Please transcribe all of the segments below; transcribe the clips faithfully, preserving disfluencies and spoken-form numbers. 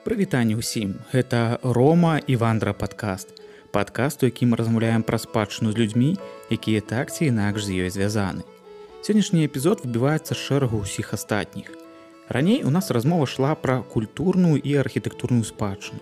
Прывітанне ўсім. Гэта Рома і Вандра падкаст. Падкаст, у якім мы размаўляем пра спадчыну з людзьмі, якія так ці інакш з ёй звязаны. Сённяшні эпізод выбіваецца з шэрагу ўсіх астатніх. Раней у нас размова шла пра культурную і архітэктурную спадчыну.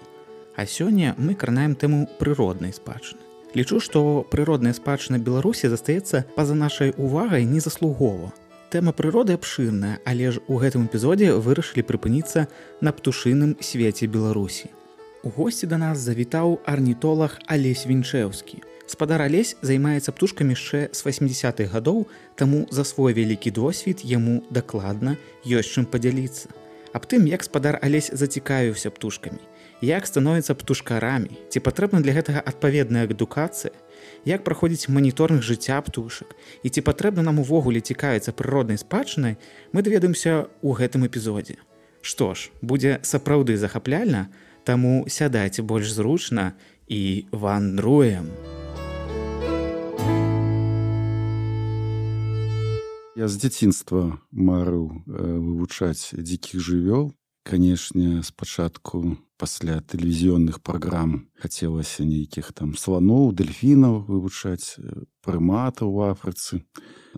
А сёння мы кранаем тэму прыроднай спадчыны. Лічу, што прыродная спадчына Беларусі застаецца па-за нашай увагай незаслугова. Тэма прыроды абшырная, але ж у гэтым эпізодзе вырашылі прыпыніцца на птушыным свеце Беларусі. У госці да нас завітаў арнітолаг Алесь Вінчэўскі. Спадар Алесь займаецца птушкамі яшчэ з васьмідзясятых гадоў, таму за свой вялікі досвед яму дакладна ёсць чым падзяліцца. Аб тым, як спадар Алесь зацікавіўся птушкамі, як становіцца птушкарамі, ці патрэбна для гэтага адпаведная адукацыя, як праходзіць маніторынг жыцця птушак і ці патрэбна нам увогуле цікавіцца прыроднай спадчынай, мы даведаемся ў гэтым эпізодзе. Што ж, будзе сапраўды захапляльна, таму сядайце больш зручна і вандруем. Я з дзяцінства марыў вывучаць дзікіх жывёл. Канешне, спачатку пасля тэлевізіённых праграм хацелася нейкіх там сланоў, дэльфінаў вывучаць, прыматаў у Афрыцы.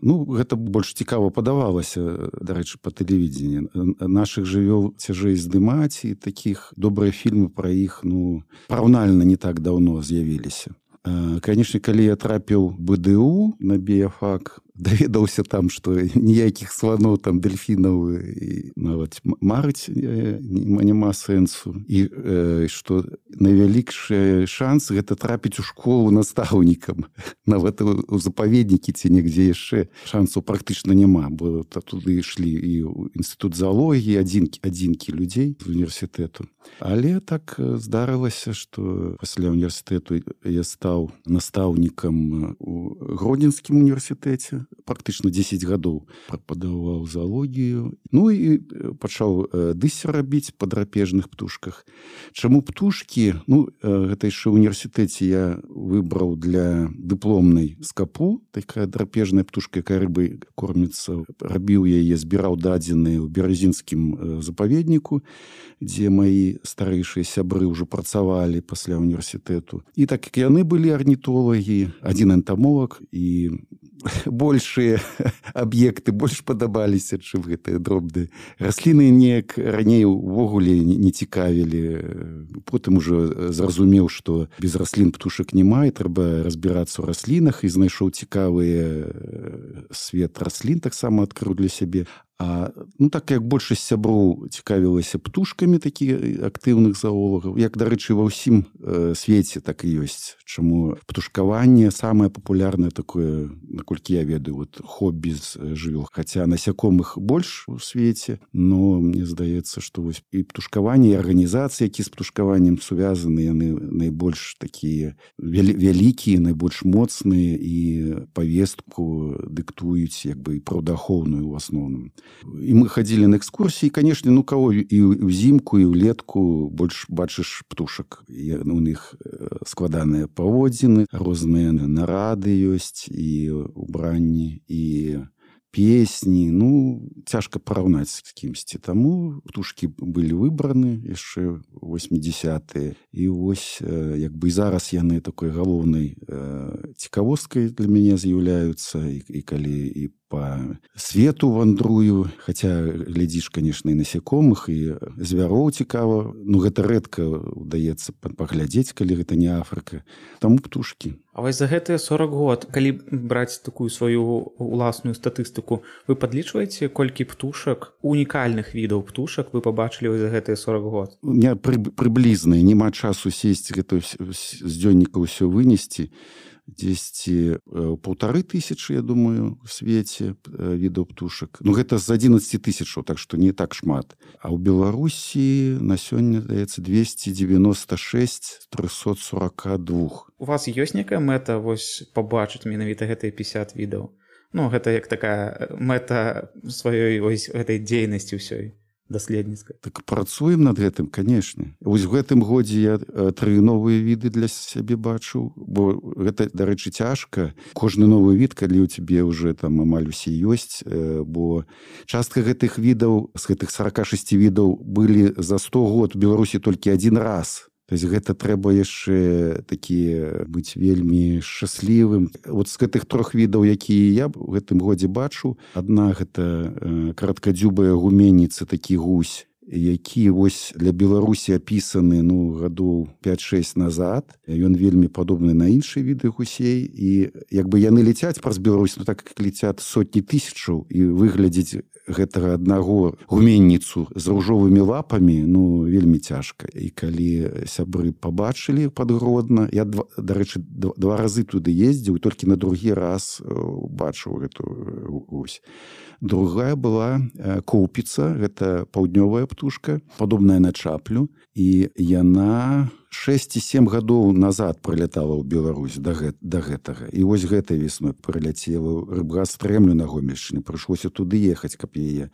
Ну, гэта больш цікава падавалася, дарэчы, па тэлевідзені. Нашых жывёл цяжэй здымаць, і такіх добрыя фільмы пра іх, ну, параўнальна не так даўно з'явіліся. Канешне, калі я трапіў бэ дэ у на біяфак, даведаўся там, што ніякіх сланоў, там, дэльфінаў і нават марыць няма сэнсу. І э, што найвялікшы шанс гэта трапіць у школу настаўнікам. Нават у запаведнікі ці нігдзе яшчэ шансаў практычна няма, бо туды ішлі і ў інстытут заалогіі, адзінкі, адзінкі людзей з універсітэту. Але так здарылася, што пасля універсітэту я стаў настаўнікам у Гродзенскім універсітэце. Практычна дзесяць гадоў преподаваў заалогію. Ну і пачаў дыссер рабіць па драпежных птушках. Чаму птушкі? Ну, гэта яшчэ ў універсітэце я выбраў для дыпломнай скапу. Такая драпежная птушка, якая рыбай корміцца. Рабіў яе, збіраў дадзеныя ў беразінскім запаведніку, дзе маі старэйшыя сябры ўжо працавалі пасля універсітэту. І так як яны былі арнітолагі, адзін энтамолог, і большыя аб'екты больш падабаліся, чым гэтыя дробныя расліны. Неяк раней увогуле не цікавілі. Потым ужо зразумеў, што без раслін птушак няма, і трэба разбірацца ў раслінах, і знайшоў цікавыя свет раслін, таксама адкрыў для сябе. А, ну, так як большасць сяброў цікавілася птушкамі, такія актыўных заолагаў, як, дарэчы, ва ўсім э, свеце так і ёсць. Чаму птушкаванне самае папулярнае такое, наколькі я ведаю, вот, хобі з жывёл. Хаця насякомых больш у свеце, но мне здаецца, што вось і птушкаванне, і арганізацыі, які з птушкаваннем сувязаны, яны найбольш такія вялікія, найбольш моцныя, і павестку дыктуюць як бы і праўдаахоўную ў асноўным. І мы хадзілі на экскурсіі, канешне, ну каго і ўзімку, і ўлетку больш бачыш птушак. І у них складаныя паводзіны, розныя нарады ёсць, і убранні, і песні. Ну, цяжка параўнаць з кімсьці. Таму птушкі былі выбраны яшчэ восьмідзясятыя. І вось, як бы і зараз яны такой галоўнай цікавосткай для мяне з'яўляюцца, і, і калі і па свету вандрую, хаця глядзіш, канешне, і насякомых, і звяроў цікава. Ну, гэта рэдка ўдаецца паглядзець, калі гэта не Афрыка. Таму птушкі. А вось за гэтыя сорак год, калі браць такую сваю уласную статыстыку, вы падлічваеце, колькі птушак, унікальных відаў птушак вы пабачылі за гэтыя сорак год? У меня прыблізна, няма часу сесці гэта з дзённіка ўсё вынесці. Дзесьці паўтары тысячы, я думаю, у свеце відаў птушак. Ну, гэта з адзінаццаці тысячаў, так што не так шмат. А ў Беларусі на сёння, здаецца, двесце дзевяноста шэсць з трохсот сорока двух. У вас ёсць некая мэта вось пабачыць менавіта гэтыя пяцьдзясят відаў? Ну, гэта як такая мэта сваёй вось гэтай дзейнасці ўсёй. даследніцкай. Так працуем над гэтым, канешне. Вось в гэтым годзе я тры новыя віды для сябе бачу, бо гэта, дарэчы, цяжка. Кожны новы від, калі ў цябе ўжо там амаль усе ёсць, бо частка гэтых відаў, з гэтых сорок шесть відаў былі за сто год у Беларусі толькі адзін раз. То есть гэта трэба яшчэ такі быць вельмі шчаслівым. Вот з гэтых трох відаў, якія я ў гэтым годзе бачу, адна гэта караткадзюбая гуменніца, такі гусь, які вось для Беларусі апісаны ну гадоў пять-шесть назад. Ён вельмі падобны на іншыя віды гусей, і як бы яны ляцяць праз Беларусь, ну так як ляцяць сотні тысячаў, і выглядзець гэтага аднаго гуменніцу з ружовымі лапамі ну вельмі цяжка. І калі сябры пабачылі пад Гродна, я дарэчы два разы туды ездзіў, толькі на другі раз бачыў гэту гусь. Другая была коўпіца, гэта паўднёвая птушка, падобная на чаплю, і яна шесть-семь гадоў назад прылятала ў Беларусь да, гэт, да гэтага. І вось гэтай весной прыляцела Рыбгас Стрэмлю на Гомельшчыне, прыйшлося туды ехаць, каб яе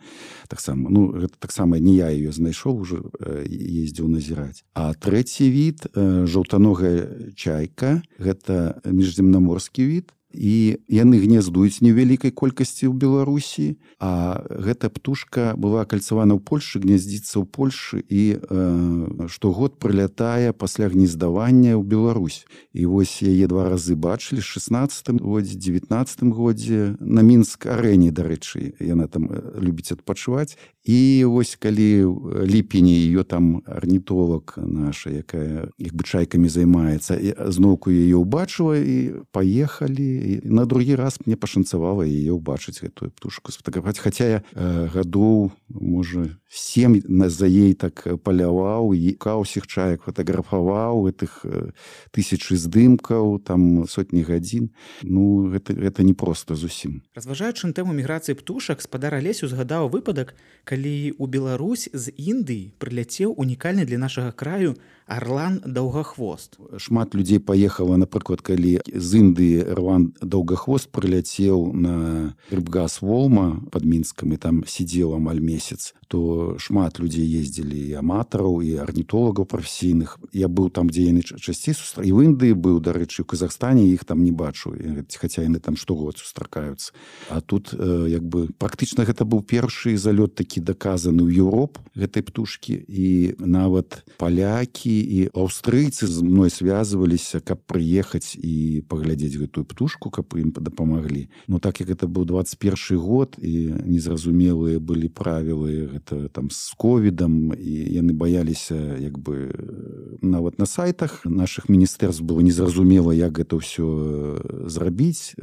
таксама, ну гэта таксама не я яе знайшоў, уже ездзіў назіраць. А трэці від, жаўтаногая чайка, гэта міжземнаморскі від, і яны гнездуюць невялікай колькасці ў Беларусі, а гэта птушка была кальцавана ў Польшы, гнездзіцца ў Польшы і э, штогод прылятае пасля гнездавання ў Беларусь. І вось яе два разы бачылі в шестнадцатым годзе, девятнадцатым годзе на Мінск-арэне, дарэчы, яна там любіць адпачываць. І вось калі ліпені ее там арнітолог наша, якая іх бы чайкамі займаецца, зноўку яе ўбачыла і паехалі. І на другі раз мне пашанцавала яе ўбачыць, гэтую птушку сфотаграфаваць. Хаця я э, гадоў, можа, сем за ей так паляваў, і каўсіх чаек фотаграфаваў, гэтых э, тысячы здымкаў, там сотні гадзін. Ну, гэта, гэта не проста зусім. Разважаючы на тэму міграцыі птушак, спадар Алесь узгадаў выпадак, калі ў Беларусь з Індыі прыляцеў унікальны для нашага краю арлан даўгахвост. Шмат людзей паехала, напрыклад, калі з Індыі арлан даўгахвост прыляцеў на Рыбгас Волма пад Мінскам і там сидзеў амаль месяц, то шмат людзей ездзілі, і аматараў, і арнітолагаў прафесійных. Я быў там, дзе яны часцей сустракаюцца. І в Індыі быў, дарэчы, у Казахстане іх там не бачу, хаця яны там штогод сустракаюцца. А тут э, як бы практычна гэта быў першы залёт такі даказаны ў Еўропу гэтай птушкі, і нават палякі і аўстрыйцы з мной звязваліся, каб прыехаць і паглядзець гэтую птушку, каб ім дапамаглі. Ну так як гэта быў двадцать першы год, і незразумелыя былі правілы гэта там з ковідам, і яны баяліся як бы нават на сайтах нашых міністэрств было незразумела, як гэта ўсё зрабіць.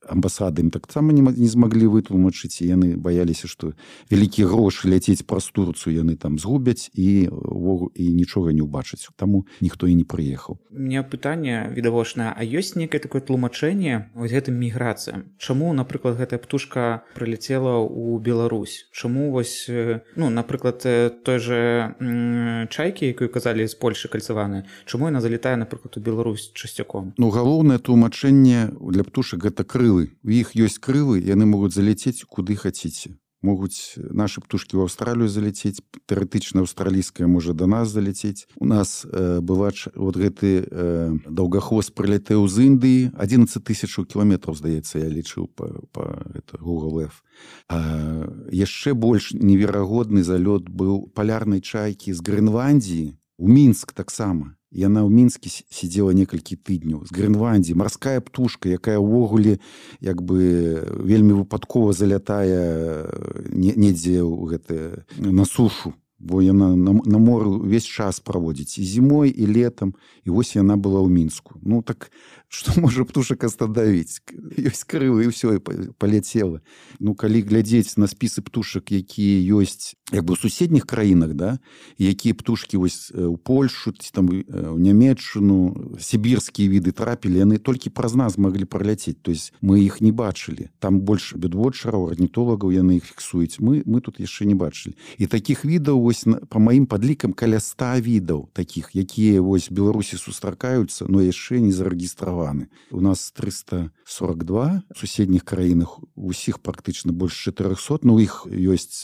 Амбасады ім таксама не, не змаглі вытлумачыць, і яны баяліся, што вялікія грошы ляцець праз Турцыю яны там згубяць і, і нічога не ўбачаць. Таму ніхто і не прыехаў. У меня пытанне відавочнае, а ёсць некае такое тлумачэнне вось гэтым міграцыям? Чаму, напрыклад, гэтая птушка прыляцела ў Беларусь? Чаму вось, ну, напрыклад, той же м, чайкі, якую казалі з Польшы кальцаваныя, чаму яна залетае, напрыклад, у Беларусь часцяком? Ну, галоўнае тлумачэнне для птушак гэта крылы. У іх ёсць крылы, яны могуць залецець куды хаціце. Могуць нашы птушкі ў Аўстралію залецець, тэарэтычна аўстралійская можа да нас залецець. У нас э, была вот гэты э, даўгахвост прыляцеў з Індыі, адзінаццаць тысяч кіламетраў, здаецца, я лічыў па, па Google Earth. А яшчэ больш неверагодны залёт быў палярнай чайкі з Грэнландіі у Мінск таксама. Яна ў Мінскі сидзела некалькі тыдняў. З Грэнландіі марская птушка, якая ўвогуле як бы вельмі выпадкова залятае недзе ў гэта на сушу, бо яна на, на моры ўвесь час праводзіць і зімой, і летам, і вось яна была ў Мінску. Ну так што можа птушак астановіць? Ёсць крылы, і ўсё, і паляцела. Ну, калі глядзець на спісы птушак, якія ёсць як бы ў суседніх краінах, да, якія птушкі вось у Польшу, там у Нямецчыну, сібірскія віды трапілі, яны толькі праз нас маглі праляцець. То есть мы іх не бачылі. Там больш бёдвотчараў, арнітолагаў яны іх фіксуюць. Мы, мы тут яшчэ не бачылі. І такіх відаў вось па маім падлікам каля ста відаў такіх, якія вось Беларусі сустракаюцца, но яшчэ не зарэгістраваны. У нас трыста сорок два, у суседніх краінах усіх практычна больш чатырохсот, но у іх ёсць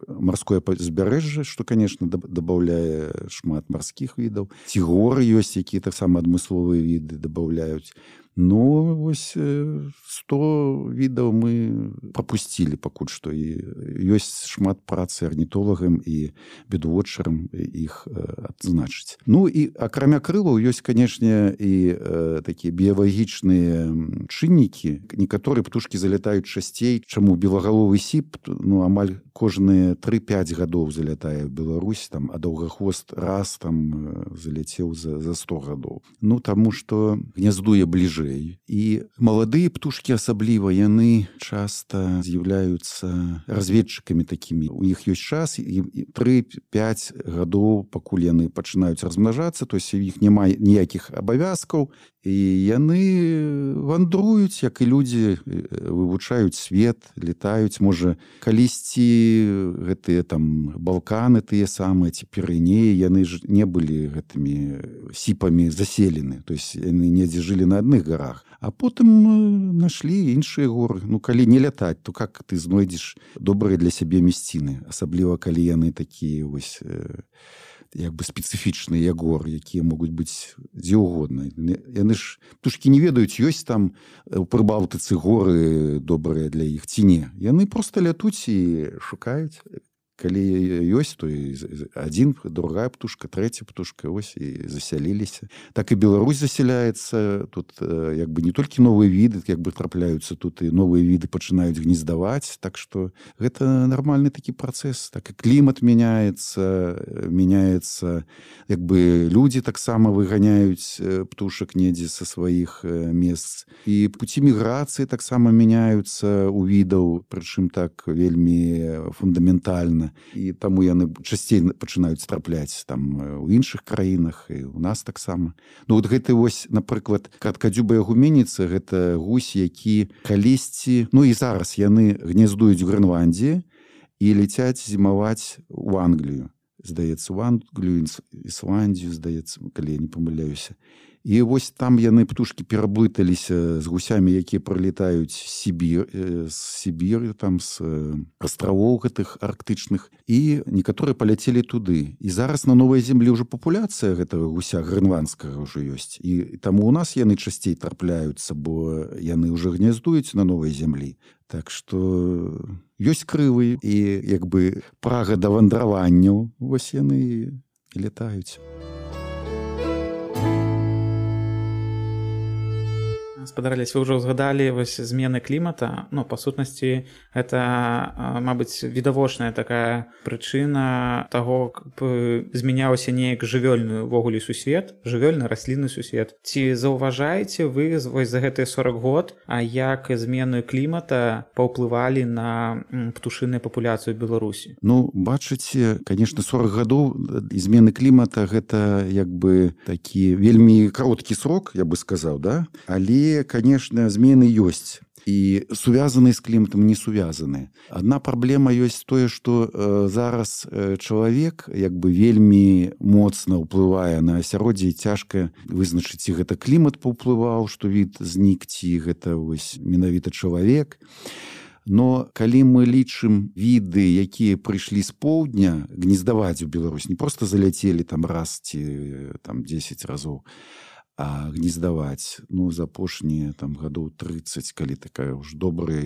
марское пазбярэжжа, што, конечно, дабаўляе шмат марскіх відаў. Ці горы ёсць, якія таксама адмысловыя віды дабаўляюць. Ну, вось сто відаў мы прапусцілі пакуль што. І ёсць шмат працы арнітолагам і бёрдвотчарам іх адзначыць. Ну, і акрамя крылаў ёсць, канешне, і э, такія біялагічныя чыннікі. Некаторыя птушкі залятаюць часцей, чаму белагаловы сіп, ну, амаль кожныя тры-пяць гадоў залятае в Беларусь, там, а даўгахвост раз там заляцеў за, за сто гадоў. Ну, таму што гняздуе бліжэй. І маладыя птушкі асабліва, яны часта з'яўляюцца разведчыкамі такімі. У іх ёсць час, і тры-пяць гадоў, пакуль яны пачынаюць размнажацца, то есть у іх няма ніякіх абавязкаў, і яны вандруюць, як і людзі, вывучаюць свет, летаюць. Можа, калісьці гэтыя там Балканы тыя самыя, ці Пірэнеі, яны ж не былі гэтымі сіпамі заселены. То есть яны недзе жылі на адных гарах. А потым нашлі іншыя горы. Ну, калі не лятаць, то как ты знойдзеш добрыя для сябе мясціны? Асабліва, калі яны такія вось як бы спецыфічныя горы, якія могуць быць дзе ўгодна. Яны ж, птушкі не ведаюць, ёсць там у Прыбалтыцы горы добрыя для іх ці не. Яны проста лятуць і шукаюць. Калі ёсць, то і адзін, другая птушка, трэця птушка, ось і засяліліся. Так і Беларусь засяляецца. Тут як бы не толькі новыя віды, як бы трапляюцца, тут і новыя віды пачынаюць гнездаваць. Так што гэта нармальны такі працэс. Так і клімат мяняецца, мяняецца, як бы людзі таксама выганяюць птушак недзе са сваіх месц. І пуці міграцыі таксама мяняюцца у відаў, прычым так вельмі фундаментальна. І таму яны часцей пачынаюць трапляць там у іншых краінах, і у нас таксама. Ну, вот гэты вось, напрыклад, каткадзюбая гуменіца, гэта гусь, які калісьці, ну і зараз яны гняздуюць у Грэнландіі і ляцяць зімаваць у Англію. Здаецца, у Англію, Ісландію, здаецца, калі я не памыляюся. І вось там яны, птушкі, пераблыталіся з гусямі, якія прылетаюць з Сібір, з Сібіры, там, з астравоў гэтых арктычных. І некаторыя паляцелі туды. І зараз на Новай Землі ўжо папуляцыя гэтага гуся грэнландскага ўжо ёсць. І таму ў нас яны часцей трапляюцца, бо яны ўжо гняздуюць на Новай Землі. Так што ёсць крылы і, як бы, прага да вандраванняў. Вось яны і летаюць. Спадарались, вы ўжо згадалі вось змены клімата. Ну, па сутнасці, гэта, мабыць, відавочная такая прычына таго, каб змяняўся неяк жывёльны ўвогуле сусвет, жывёльны раслінны сусвет. Ці заўважаеце вы вось за гэтыя сорок год, а як змены клімата паўплывалі на птушыную папуляцыю Беларусі? Ну, бачыце, конечно, сорок гадоў змены клімата гэта як бы такі вельмі кароткі срок, я бы сказаў, да? Але, конечно, змены ёсць. І сувязаныя з кліматам, не сувязаныя. Адна праблема ёсць тое, што э, зараз э, чалавек як бы вельмі моцна ўплывае на асяроддзе, і цяжка вызначыць, ці гэта клімат паўплываў, што від знік, ці гэта вось менавіта чалавек. Но калі мы лічым віды, якія прыйшлі з поўдня гнездаваць у Беларусь, не проста заляцелі там раз ці там дзесяць разоў, а гнездаваць, ну, за апошнія там гадоў трыццаць, калі такая ўж добрая,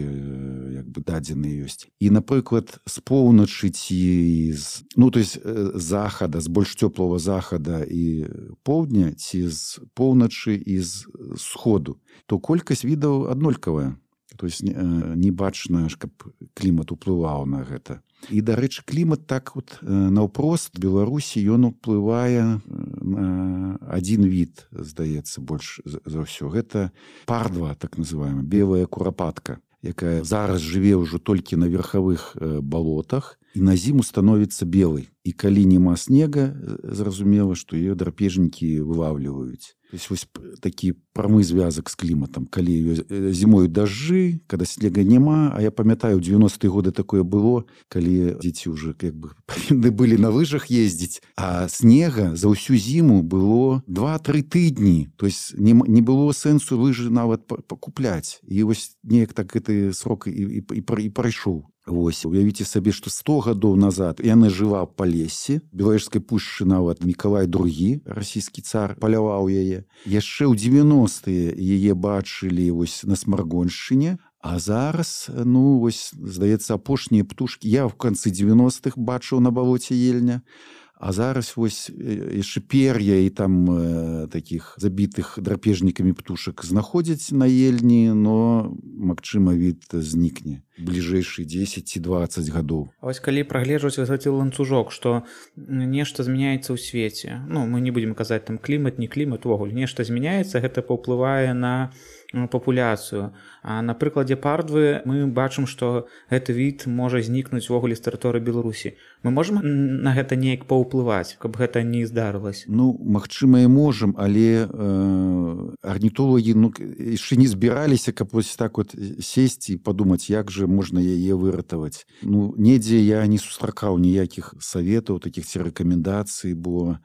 як бы, дадзеныя ёсць. І, напрыклад, з поўначы ці з, ну, то есть захада, з больш цёплага захада і поўдня, ці з поўначы і з сходу, то колькасць відаў аднолькавая. То есть не, не бачна, каб клімат уплываў на гэта. І, дарэчы, клімат так вот наўпрост Беларусі ён уплывае на адзін від, здаецца, больш за ўсё. Гэта пардва, так называемая, белая курапатка, якая зараз жыве ўжо толькі на верхавых балотах. і на зіму становіцца белай. І калі няма снега, зразумела, што ее драпежнікі вылавліваюць. То есть вось такі прамы звязак з кліматам. Калі зімою дажджы, когда снега няма, а я памятаю, у девяностые годы такое было, калі дзеці ўжо як бы павінны былі на лыжах ездзіць, а снега за ўсю зіму было два-тры тыдні. То есть не, не было сэнсу лыжы нават пакупляць. І вось неяк так гэты срок і, і, і, і прайшоў. Вось, уявіце сабе, што сто гадоў назад яна жыла па лесе, Белавежскай пушчы нават Мікалай другі, расійскі цар, паляваў яе. Яшчэ ў девяностые яе бачылі вось на Смаргоншчыне, а зараз, ну, вось, здаецца, апошнія птушкі я ў канцы девяностых бачыў на балоце Ельня, а зараз вось яшчэ пер'я і там э, такіх забітых драпежнікамі птушак знаходзяць на Ельні, но, магчыма, від знікне бліжэйшыя дзесяць ці дваццаць гадоў. А вось калі прагледжваць гэты ланцужок, што нешта змяняецца ў свеце, ну, мы не будзем казаць там клімат, не клімат, увогуле, нешта змяняецца, гэта паўплывае на папуляцыю. А на прыкладзе пардвы мы бачым, што гэты від можа знікнуць увогуле з тэрыторыі Беларусі. Мы можам на гэта неяк паўплываць, каб гэта не здарылася? Ну, магчыма, і можам, але э, арнітолагі ну, яшчэ не збіраліся, каб вось так вот сесці і падумаць, як жа можна яе выратаваць. Ну, недзе я не сустракаў ніякіх саветаў, такіх ці рэкамендацый, бо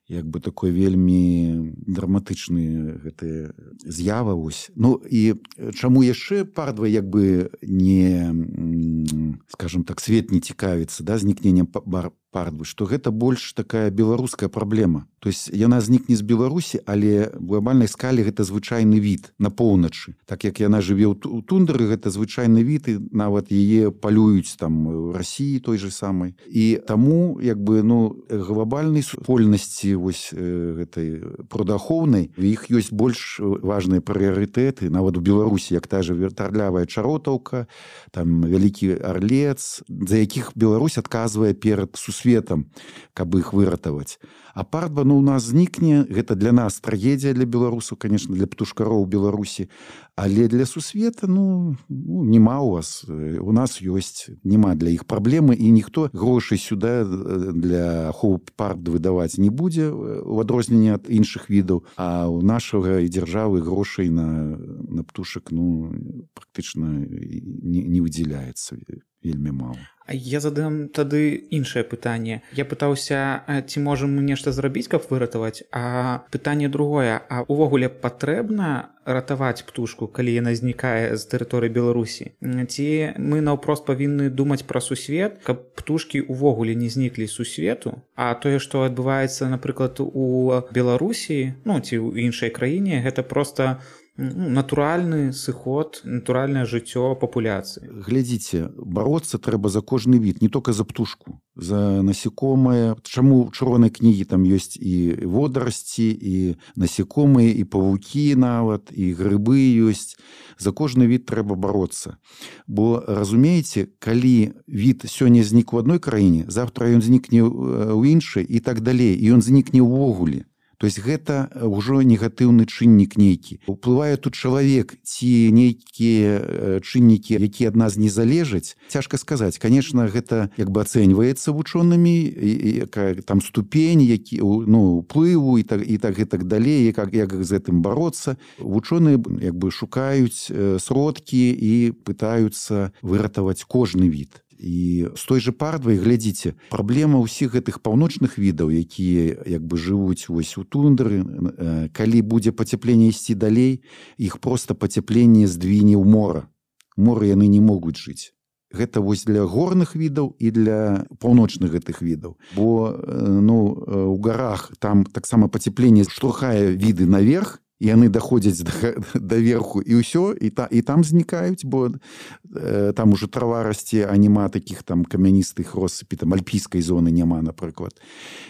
як бы такой вельмі драматычны гэты з'ява вось. Ну і чаму яшчэ пардва як бы не, скажем так, свет не цікавіцца, да, знікненнем пардвы, што гэта больш такая беларуская праблема. То есть яна знікне з Беларусі, але в глобальнай скале гэта звычайны від на поўначы. Так як яна жыве ў тундры, гэта звычайны від, і нават яе палююць там у Расіі той же самай. І таму як бы ну глобальнай супольнасці вось гэтай прудахоўнай, у іх ёсць больш важныя прыярытэты, нават у Беларусі, як та же вертарлявая чаротаўка, там вялікі арлец, за якіх Беларусь адказвае перад сусветам, каб іх выратаваць. А пардва, ну, у нас знікне, гэта для нас трагедія для беларусаў, конечно, для птушкароў Беларусі, але для сусвета, ну, ну няма у вас, у нас ёсць, няма для іх праблемы, і ніхто грошай сюда для аховы пардвы даваць не будзе, у адрозненне ад іншых відаў, а у нашага і дзяржавы грошай на, на птушак, ну, практычна не, не выдзяляецца вельмі мала. Я задам тады іншае пытанне. Я пытаўся, ці можам мы нешта зрабіць, каб выратаваць, а пытанне другое, а увогуле патрэбна ратаваць птушку, калі яна знікае з тэрыторыі Беларусі? Ці мы наўпрост павінны думаць пра сусвет, каб птушкі увогуле не зніклі з сусвету, а тое, што адбываецца, напрыклад, у Беларусі, ну, ці ў іншай краіне, гэта проста натуральны сыход, натуральнае жыццё папуляцыі. Глядзіце, бароцца трэба за кожны від, не толькі за птушку, за насекомае. Чаму ў чырвонай кнігі там ёсць і водарасці, і насекомыя, і павукі нават, і грыбы ёсць. За кожны від трэба бароцца. Бо, разумееце, калі від сёння знік у адной краіне, завтра ён знікне ў іншай і так далей, і ён знікне ўвогуле. То есть гэта ўжо негатыўны чыннік нейкі. Уплывае тут чалавек ці нейкія чыннікі, якія ад нас не залежаць. Цяжка сказаць. Конечно, гэта як бы ацэньваецца вучонымі, якая там ступень, які, ну, уплыву і так, і так, і так далей, як, як з гэтым бароцца. Вучоныя як бы шукаюць сродкі і пытаюцца выратаваць кожны від. І з той же пардвай, глядзіце, праблема ўсіх гэтых паўночных відаў, якія як бы жывуць вось у тундры, калі будзе пацяпленне ісці далей, іх проста пацяпленне здвіне ў мора. Моры яны не могуць жыць. Гэта вось для горных відаў і для паўночных гэтых відаў. Бо ну, у гарах там таксама пацяпленне штурхае віды наверх, і яны даходзяць да верху, і ўсё, і, та, і там знікаюць, бо э, там ужо трава расце, а няма такіх там камяністых россыпі, там альпійскай зоны няма, напрыклад.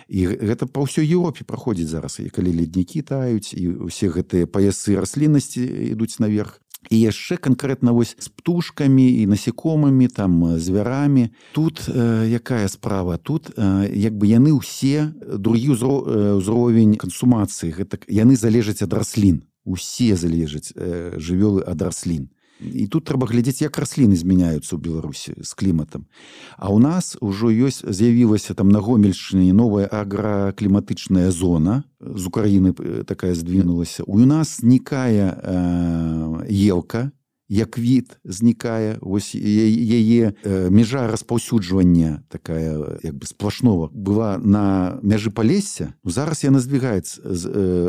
І гэта па ўсёй Еўропе праходзіць зараз, і калі леднікі таюць, і ўсе гэтыя паясы расліннасці ідуць наверх. І яшчэ канкрэтна вось з птушкамі і насекомымі, там звярамі. Тут э, якая справа? Тут э, як бы яны ўсе, другі ўзро, ўзровень кансумацыі, гэта яны залежаць ад раслін. Усе залежаць э, жывёлы ад раслін. І тут трэба глядзець, як расліны змяняюцца ў Беларусі з кліматам. А ў нас ужо ёсць, з'явілася там на Гомельшчыне новая агракліматычная зона, з Украіны такая здвінулася. У нас знікае э, елка, як від знікае, ось яе межа распаўсюджвання такая як бы сплошного была на мяжы Палесся. Зараз яна здвигаецца,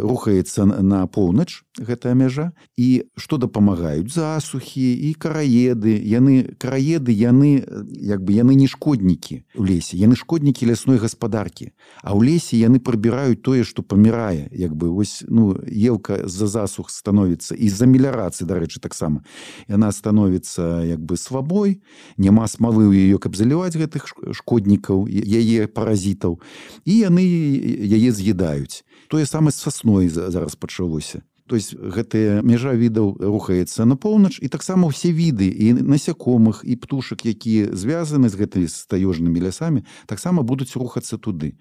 рухаецца на поўнач, гэтая мяжа, і што дапамагаюць засухі і караеды. Яны караеды, яны як бы яны не шкоднікі ў лесе, яны шкоднікі лясной гаспадаркі. А ў лесе яны прыбіраюць тое, што памірае, як бы ось ну елка з-за засух становіцца і з-за меліярацыі, дарэчы, таксама. Яна становіцца як бы свабой, няма смалы ў яе, каб заліваць гэтых шкоднікаў, яе паразітаў, і яны яе з'едаюць. Тое самае з сасной зараз пачалося. То есть гэтая мяжа відаў рухаецца на поўнач, і таксама ўсе віды і насякомых, і птушак, якія звязаны з гэтымі таежнымі лясамі, таксама будуць рухацца туды.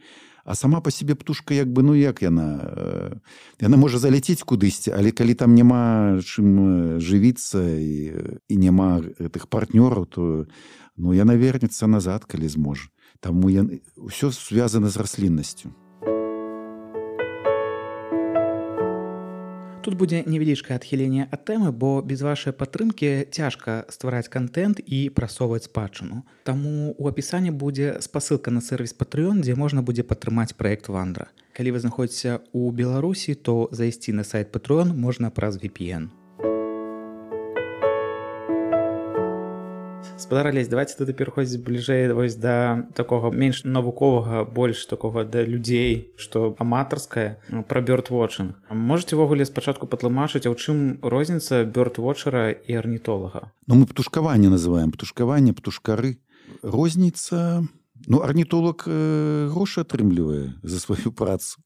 А сама па сябе птушка як бы, ну як яна? Яна можа заляцець кудысьці, але калі там няма чым жывіцца і, і няма гэтых партнёраў, то ну, яна вернецца назад, калі зможа. Таму яна... ўсё звязана з расліннасцю. Тут будзе невялічкае адхіленне ад тэмы, бо без вашай падтрымкі цяжка ствараць кантэнт і прасоўваць спадчыну. Таму ў апісанні будзе спасылка на сервіс Patreon, дзе можна будзе падтрымаць праект Вандра. Калі вы знаходзіцеся ў Беларусі, то зайсці на сайт Patreon можна праз ви пі эн. Спадар Алесь, давайте тады пераходзіць бліжэй вось да такога менш навуковага, больш такога да людзей, што аматарскае, пра бёрдвотчынг. Можаце ўвогуле спачатку патлумачыць, а ў чым розніца бёрдвотчара і арнітолага? Ну, мы птушкаванне называем, птушкаванне, птушкары. Розніца... Ну, арнітолог э, грошы атрымлівае за сваю працу.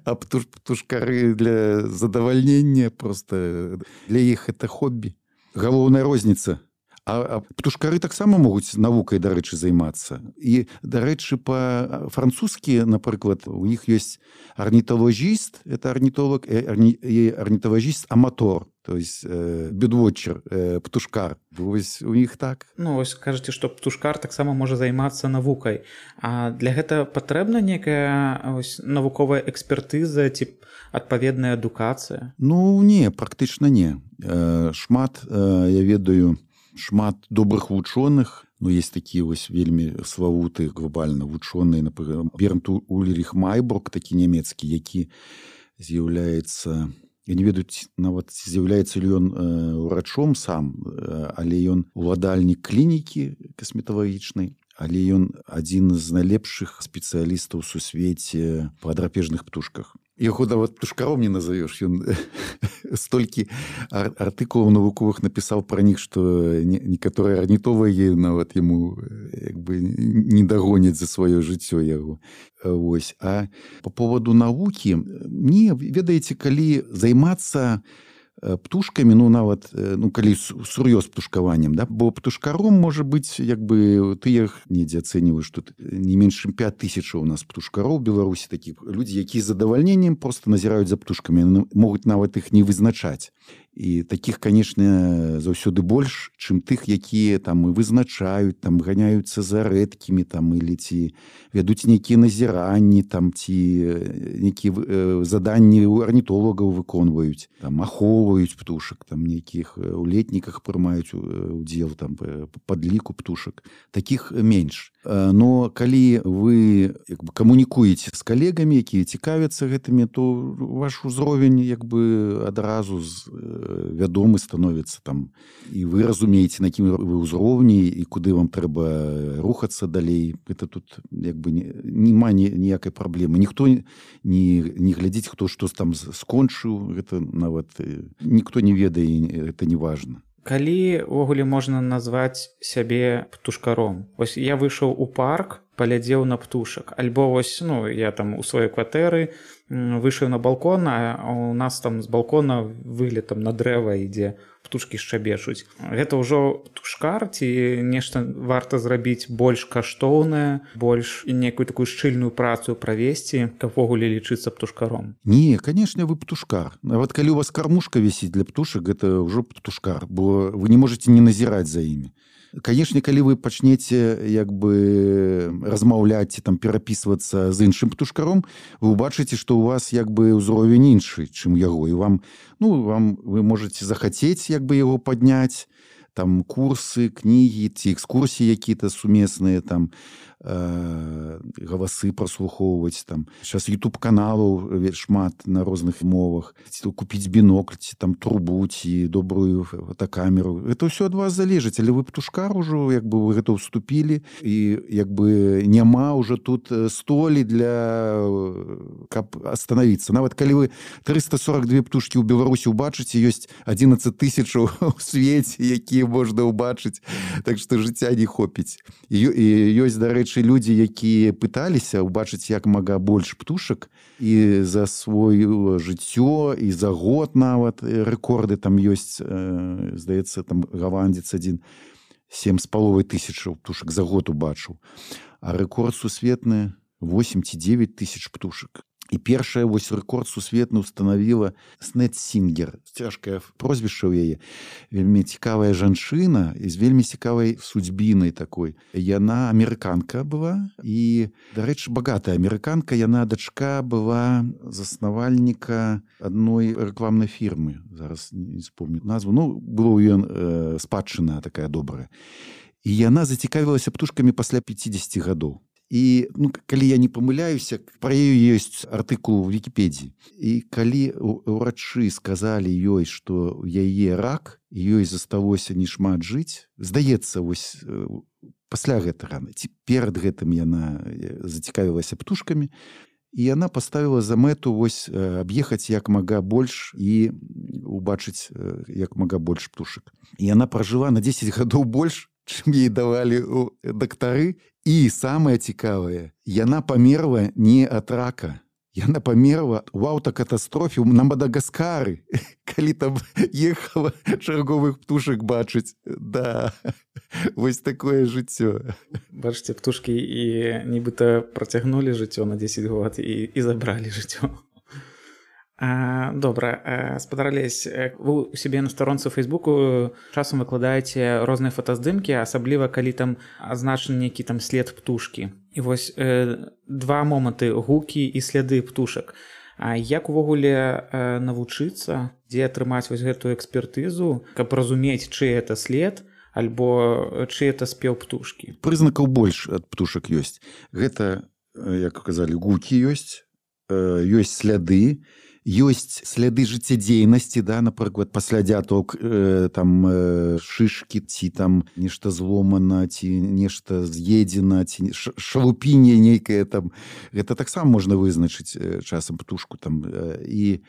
А птуш, птушкары для задавальнення, просто для іх это хоббі. Галоўная розніца. А, а птушкары таксама могуць навукай, дарэчы, займацца. І, дарэчы, па-французскі, напрыклад, у іх ёсць арнітолагіст, это арнітолог, і арнітолагіст-аматор, то есть э, бёрдвотчер, э, птушкар. Вось у іх так. Ну, вось кажаце, што птушкар таксама можа займацца навукай. А для гэта патрэбна некая ось, навуковая экспертыза ці адпаведная адукацыя? Ну, не, практычна не. Э, шмат, э, я ведаю, шмат добрых вучоных, ну, есть такія вось вельмі славуты глобальна вучоныя, напрыклад, Бернт Ульрих Майбург, такі нямецкі, які з'яўляецца, я не ведаю нават, з'яўляецца ли ён э, урачом сам, э, але ён уладальнік клінікі касметалагічнай, але ён адзін з найлепшых спецыялістаў у сусвеце па драпежных птушках. Яго нават птушкаром не назовеш. Ён столькі ар артыкулаў навуковых напісаў пра них, што некаторыя арнітолагі нават яму як бы не дагоняць за сваё жыццё яго. Вось. А по поводу навукі, не, ведаеце, калі займацца птушкамі, ну нават, ну калі сур'ёз птушкаваннем, да, бо птушкаром можа быць, як бы тыя недзе ацэньваюць, што не менш чым пяць тысяч у нас птушкароў у Беларусі, такіх людзі, якія з задавальненнем проста назіраюць за птушкамі, могуць нават іх не вызначаць. І такіх, канешне, заўсёды больш, чым тых, якія там і вызначаюць, там ганяюцца за рэдкімі, там или ці вядуць нейкія назіранні, там ці нейкія э, заданні арнітолагаў выконваюць, там ахоўваюць птушак, там нейкіх у летніках прымаюць удзел там падліку птушак. Такіх менш. Но калі вы як бы камунікуеце з калегамі, якія цікавяцца гэтымі, то ваш узровень як бы адразу з вядомы становіцца там, і вы разумееце, на якім вы ўзроўні і куды вам трэба рухацца далей. Это тут як бы няма ніякай праблемы. Ніхто не, не глядзіць, хто што там скончыў, гэта нават ніхто не ведае, это не важна. Калі ўвогуле можна назваць сябе птушкаром? Вось я выйшаў у парк, паглядзеў на птушак. Альбо вось, ну, я там у сваёй кватэры выйшаў на балкон, а у нас там з балкона выгляд там на дрэва ідзе, птушкі шчабечуць. Гэта ўжо птушкар ці нешта варта зрабіць больш каштоўнае, больш некую такую шчыльную працу правесці, каб увогуле лічыцца птушкаром? Не, конечно, вы птушкар. Нават калі у вас кармушка вісіць для птушак, гэта ўжо птушкар, бо вы не можете не назіраць за імі. Конечно, калі вы пачнеце як бы размаўляць, там перапісвацца з іншым птушкаром, вы убачыце, што у вас як бы ўзровень іншы, чым яго, і вам, ну, вам вы можете захацець як бы яго падняць, там курсы, кнігі ці экскурсіі якія-то сумесныя, там э, галасы праслухоўваць, там сейчас YouTube каналаў шмат на розных мовах, ці купіць бінокль, ці там трубу, ці добрую фотокамеру. Это ўсё ад вас залежыць, але вы птушкар ужо, як бы вы гэта ўступілі, і як бы няма ўжо тут столі для каб остановиться. Нават калі вы трыста сорок две птушкі ў Беларусі убачыце, ёсць адзінаццаць тысяч у свеце, якія можна ўбачыць, так што жыцця не хопіць. І, і ёсць, дарэчы, людзі, якія пыталіся ўбачыць як мага больш птушак, і за сваё жыццё, і за год нават рэкорды там ёсць, э, здаецца, там галандзец адзін сем з паловай тысячаў птушак за год убачыў. А рэкорд сусветны восемь ці девять тысяч птушак. І першая вось рэкорд сусветны устанавіла Снет Сінгер. Цяжкае прозвішча ў яе. Вельмі цікавая жанчына і з вельмі цікавай судьбінай такой. Яна амерыканка была і, дарэчы, багатая амерыканка. Яна дачка была заснавальніка адной рэкламнай фірмы. Зараз не вспомню назву. Ну, было ў ёй э, спадчына такая добрая. І яна зацікавілася птушкамі пасля пяцідзесяці гадоў. І, ну, калі я не памыляюся, пра яе ёсць артыкул у Вікіпедіі. І калі ўрачы сказалі ёй, што ў яе рак, ёй засталося не шмат жыць, здаецца, вось пасля гэтага, ці перад гэтым яна зацікавілася птушкамі, і яна паставіла за мэту вось аб'ехаць як мага больш і убачыць як мага больш птушак. І яна пражыла на дзесяць гадоў больш, чым ей давалі дактары. І самае цікавае, яна памерла не ад рака. Яна памерла ў аўтакатастрофе на Мадагаскары, калі там ехала чарговых птушак бачыць. Да, вось такое жыццё. Бачыце, птушкі і нібыта працягнулі жыццё на дзесяць год і, і забралі жыццё. А, добра, спадар Алесь, вы у сябе на старонцы ў Фейсбуку часам выкладаеце розныя фотаздымкі, асабліва калі там азначаны нейкі там след птушкі. І вось э, два моманты: гукі і сляды птушак. А як увогуле э, навучыцца, дзе атрымаць вось гэтую экспертызу, каб разумець, чый это след, альбо чый это спеў птушкі? Прызнакаў больш ад птушак ёсць. Гэта, як казалі, гукі ёсць, э, ёсць сляды, ёсць сляды жыццядзейнасці, да, напрыклад, пасля дзяток э, там э, шышкі, ці там нешта зломана, ці нешта з'едзена, ці шалупінне нейкае там. Гэта таксама можна вызначыць э, часам птушку там. Э, і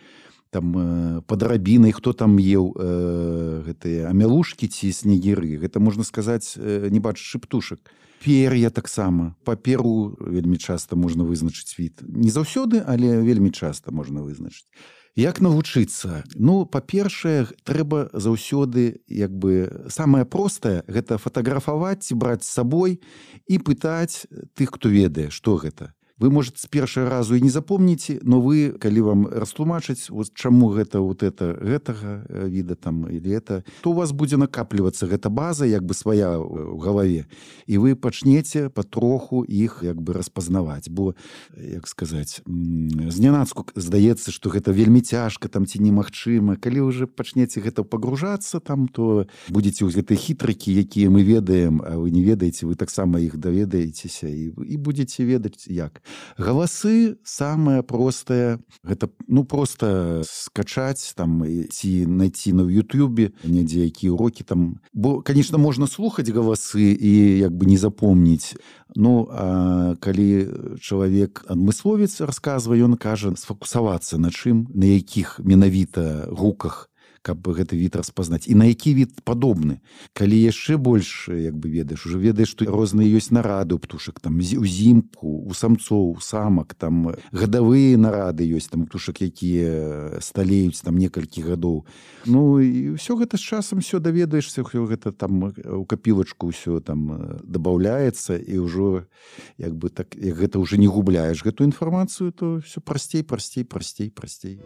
там э, пад рабінай, хто там еў э, гэтыя амялушкі ці снегіры. Гэта, можна сказаць, э, не бачачы птушак. Пер'я таксама. Паперу вельмі часта можна вызначыць від. Не заўсёды, але вельмі часта можна вызначыць. Як навучыцца? Ну, па-першае, трэба заўсёды, як бы, самае простае, гэта фатаграфаваць, браць з сабой і пытаць тых, хто ведае, што гэта. Вы, может, з першага разу і не запомніце, но вы, калі вам растлумачыць, вот чаму гэта вот это гэтага віда там или это, то у вас будзе накаплівацца гэта база, як бы свая ў галаве, і вы пачнеце патроху іх як бы распазнаваць, бо, як сказаць, знянацку здаецца, што гэта вельмі цяжка там ці немагчыма. Калі уже пачнеце гэта пагружацца там, то будзеце ў гэтыя хітрыкі, якія мы ведаем, а вы не ведаеце, вы таксама іх даведаецеся і, і будзеце ведаць як. Галасы самае простае, гэта, ну, просто скачаць там ці найти на Ютубе недзе якія урокі там. Бо, конечно, можна слухаць галасы і як бы не запомніць. Ну, а калі чалавек адмысловец расказвае, ён кажа сфокусавацца на чым, на якіх менавіта гуках каб гэты від распазнаць і на які від падобны. Калі яшчэ больш як бы ведаеш, уже ведаеш, што розныя ёсць нарады у птушак, там узімку, у самцоў, у самак, там гадавыя нарады ёсць, там птушак, якія сталеюць там некалькі гадоў. Ну і ўсё гэта з часам все даведаешся, ўсё гэта там у капілачку ўсё там дабаўляецца і ўжо як бы так, як гэта ўжо не губляеш гэту інфармацыю, то все прасцей, прасцей, прасцей, прасцей.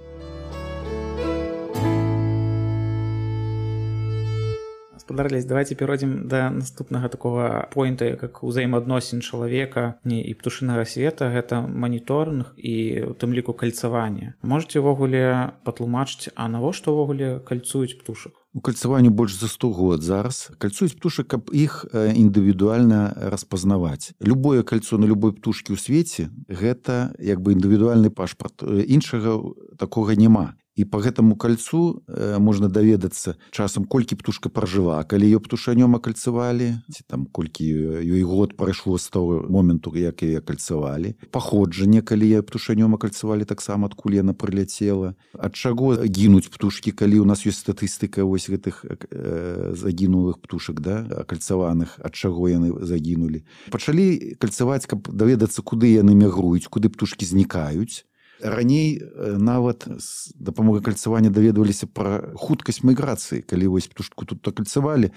Спадар Алесь, давайте перайдзем да наступнага такога поінта, як узаемаадносін чалавека і птушынага света, гэта маніторынг і у тым ліку кальцаванне. Можаце ўвогуле патлумачыць, а навошта ўвогуле кальцуюць птушак? У кальцаванню больш за сто год зараз. Кальцуюць птушак, каб іх індывідуальна распазнаваць. Любое кальцо на любой птушкі ў свеце гэта як бы індывідуальны пашпарт. Іншага такога няма. І па гэтаму кальцу э, можна даведацца часам, колькі птушка пражыла, калі ее птушанём акальцавалі, ці там колькі ёй год прайшло з таго моменту, як яе акальцавалі. Паходжанне, калі яе птушанём акальцавалі, таксама адкуль яна прыляцела. Ад чаго гінуць птушкі, калі ў нас ёсць статыстыка вось гэтых э, загінулых птушак, да, акальцаваных, ад чаго яны загінулі. Пачалі кальцаваць, каб даведацца, куды яны мігруюць, куды птушкі знікаюць. Раней нават з дапамогай кальцавання даведваліся пра хуткасць міграцыі, калі вось птушку тут акальцавалі,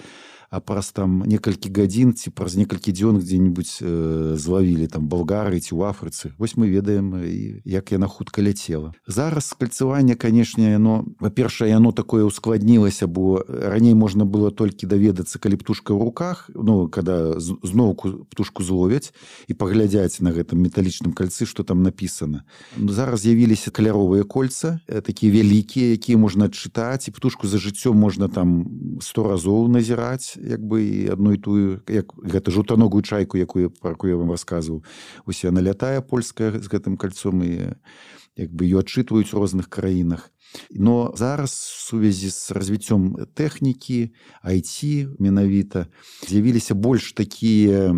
а праз там некалькі гадзін ці праз некалькі дзён дзе-нибудь э, злавілі там Балгарыі ці ў Афрыцы. Вось мы ведаем, як яна хутка ляцела. Зараз кальцаванне, канешне, яно, па-першае, яно такое ускладнілася, бо раней можна было толькі даведацца, калі птушка ў руках, ну, когда зноўку птушку зловяць і паглядзяць на гэтым металічным кальцы, што там напісана. Зараз з'явіліся каляровыя кольца, такія вялікія, якія можна адчытаць, і птушку за жыццём можна там сто разоў назіраць, як бы і адну і тую, як гэта жаўтаногую чайку, якую, про якую я вам расказваў. Ось яна лятае польская з гэтым кальцом і як бы ее адчытваюць у розных краінах. Но зараз в сувязі з развіццём тэхнікі, ай ти менавіта, з'явіліся больш такія,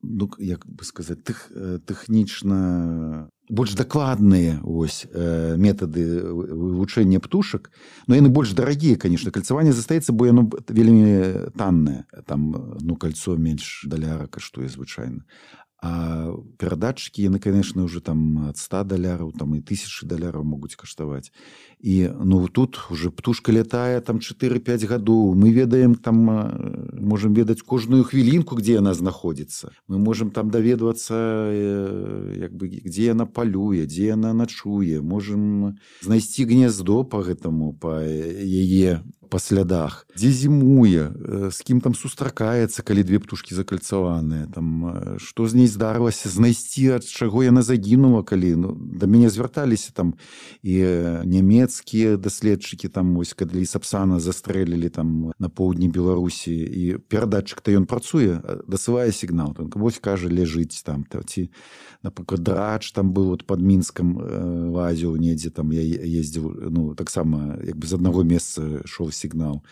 ну, як бы сказаць, тех, тэхнічна больш дакладныя ось метады вывучэння птушак, но яны больш дарагія, конечно. Кальцаванне застаецца, бо яно вельмі таннае. Там, ну, кальцо менш даляра каштуе звычайна. А перадатчыкі, яны, конечно, уже там ад ста даляраў, там і тысячы даляраў могуць каштаваць. І, ну, тут уже птушка лятае там чатыры-пяць гадоў. Мы ведаем там, можем ведаць кожную хвілінку, где яна знаходзіцца. Мы можем там даведвацца, як бы, где яна палюе, дзе яна начуе. Можем знайсці гнездо по гэтаму, по яе па слядах, дзе зімуе, з кім там сустракаецца, калі две птушкі закальцаваныя, там, што з ней здарылася, знайсці, ад чаго яна загінула, калі, ну, да мяне звярталіся там і нямецкія даследчыкі, там, ось, калі Сапсана застрэлілі там на поўдні Беларусі, і перадатчык-то ён працуе, дасылае сігнал, там, вось, кажа, ляжыць там, ці, напрыклад, драч там быў вот пад Мінскам лазіў недзе, там я ездзіў, ну, таксама, як бы з аднаго месца шоў сігнал,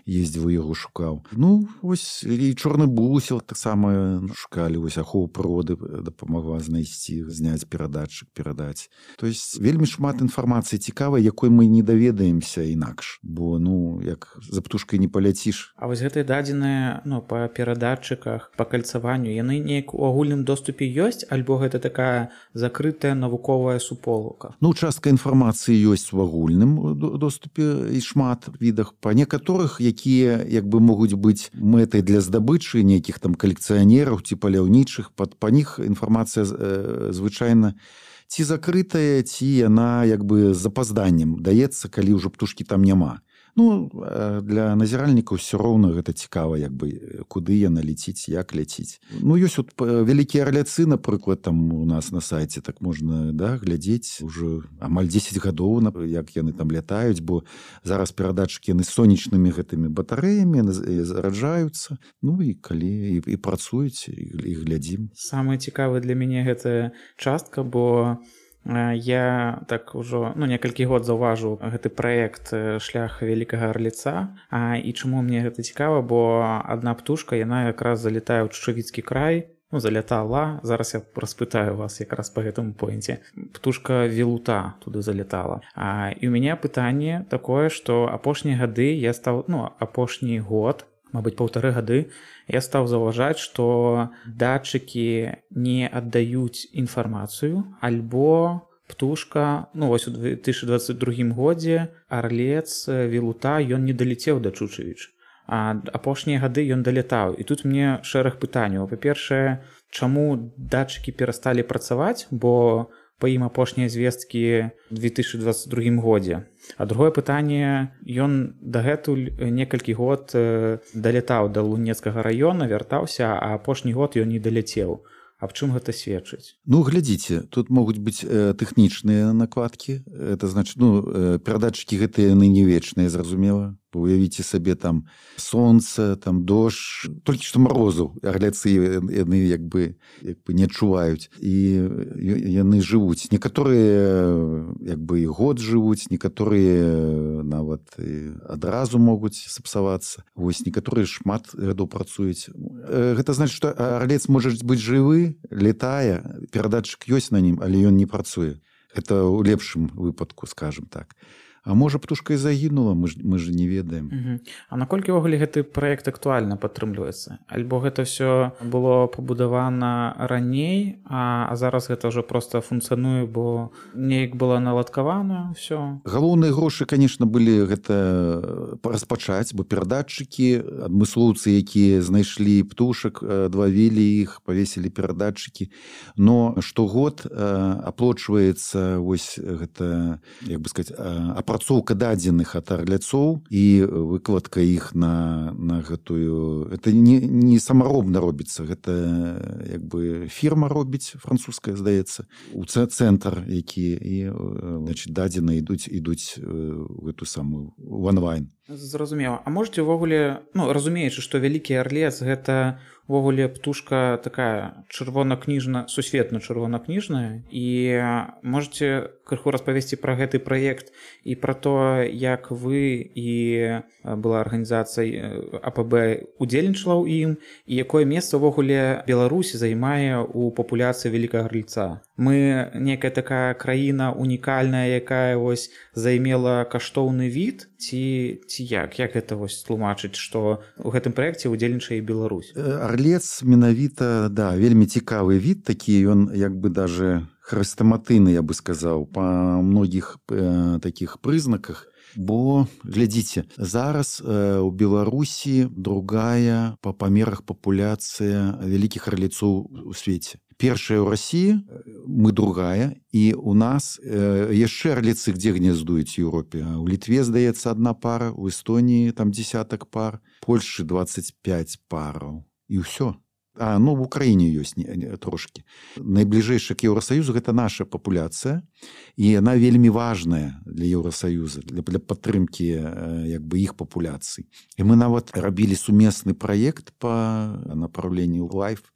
ездзіў, яго шукаў. Ну, вось, і чорны бусел таксама шукалі, вось, ахову прыроды дапамагла знайсці, зняць перадатчык, перадаць. То есть вельмі шмат інфармацыі цікавай, якой мы не даведаемся інакш, бо, ну, як за птушкай не паляціш. А вось гэтыя дадзеныя, ну, па перадатчыках, па кальцаванню, яны неяк у агульным доступе ёсць, альбо гэта такая закрытая навуковая суполка? Ну, частка інфармацыі ёсць у агульным доступе і шмат відах. Па некаторых, якія, як бы, могуць быць мэтай для здабычы нейкіх там калекцыянераў ці паляўнічых, па, па них інфармацыя э, звычайна ці закрытая, ці яна, як бы, з запазданнем даецца, калі ўжо птушкі там няма. Ну, для назіральнікаў все роўна гэта цікава, як бы, куды яна ляціць, як ляціць. Ну, ёсць вот вялікія арляцы, напрыклад, там у нас на сайце, так можна, да, глядзець уже амаль дзесяць гадоў, як яны там лятаюць, бо зараз перадатчыкі яны сонечнымі гэтымі батарэямі зараджаюцца, ну, і калі і, і працуюць, і, і глядзім. Самае цікавае для мяне гэта частка, бо я так ужо, ну, некалькі год заўважыў гэты праект «Шлях вялікага арліца». А, і чаму мне гэта цікава, бо адна птушка, яна якраз залетае ў Чучавіцкі край, ну, залятала, зараз я распытаю вас якраз по гэтаму поінце. Птушка велута туды залятала. А, і ў мяне пытанне такое, што апошнія гады я стаў, ну, апошні год, мабыць, паўтары гады, я стаў заўважаць, што датчыкі не аддаюць інфармацыю, альбо птушка, ну, вось у две тысячы дваццаць другім годзе арлец велута, ён не далецеў да Чучевіч. А апошнія гады ён далятаў. І тут мне шэраг пытанняў. Па-першае, чаму датчыкі перасталі працаваць, бо па ім апошнія звесткі ў две тысячы дваццаць другім годзе. А другое пытанне, ён дагэтуль некалькі год далятаў да Лунецкага раёна, вяртаўся, а апошні год ён не даляцеў. Аб чым гэта сведчыць? Ну, глядзіце, тут могуць быць э, тэхнічныя накладкі. Это значит, ну, э, перадатчыкі гэтыя яны не вечныя, зразумела. Уявіце сабе там сонца, там дождж, толькі што марозу, арляцы яны як бы, як бы не адчуваюць. І яны жывуць. Некаторыя як бы і год жывуць, некаторыя нават адразу могуць сапсавацца. Вось некаторыя шмат гадоў працуюць. Гэта значит, што арлец можа быць жывы, летае, перадатчык ёсць на ім, але ён не працуе. Это ў лепшым выпадку, скажем так. А можа, птушка і загінула, мы ж, мы ж не ведаем. Uh-huh. А наколькі ўвогуле гэты праект актуальна падтрымліваецца? Альбо гэта ўсё было пабудавана раней, а, а зараз гэта ўжо проста функцыянуе, бо неяк было наладкавана ўсё? Галоўныя грошы, конечно, былі гэта распачаць, бо перадатчыкі, адмыслоўцы, якія знайшлі птушак, адвавілі іх, павесілі перадатчыкі. Но штогод аплочваецца вось гэта, як бы сказаць, апрацоўка дадзеных ад арляцоў і выкладка іх на, на гэтую... Это не, не самаробна робіцца, гэта як бы фірма робіць, французская, здаецца, у цэнтр, які і, значит, дадзены ідуць, ідуць у эту самую, у онлайн. Зразумела. А можете ўвогуле, ну, разумеючы, што вялікі арлец гэта увогуле птушка такая чырвона-кніжна, сусветна чырвона-кніжная, і можете крыху распавесці пра гэты праект і пра то, як вы і была арганізацыя А П Б удзельнічала ў ім, і якое месца ўвогуле Беларусі займае ў папуляцыі вялікага арльца. Мы некая такая краіна унікальная, якая вось займела каштоўны від, ці, ці як? Як гэта вось тлумачыць, што ў гэтым праекце удзельнічае і Беларусь? Арлец менавіта, да, вельмі цікавы від такі, ён як бы даже хрэстаматыйны, я бы сказаў, па многіх э, такіх прызнаках. Бо, глядзіце, зараз э, у Беларусі другая па памерах папуляцыя вялікіх арлецоў у свеце. Першая ў Расіі, мы другая, і у нас э, яшчэ арлецы где гнездуюць у Еўропе. У Літве, здаецца, адна пара, у Эстоніі там десятак пар, Польшы двадцать пять параў. І ўсё. А, ну, в Украіне ёсць не, не, трошкі. Найбліжэйшая к Еўрасаюзу гэта наша папуляцыя, і яна вельмі важная для Еўрасаюза, для, для падтрымкі як бы іх папуляцый. І мы нават рабілі сумесны праект па направленню Life,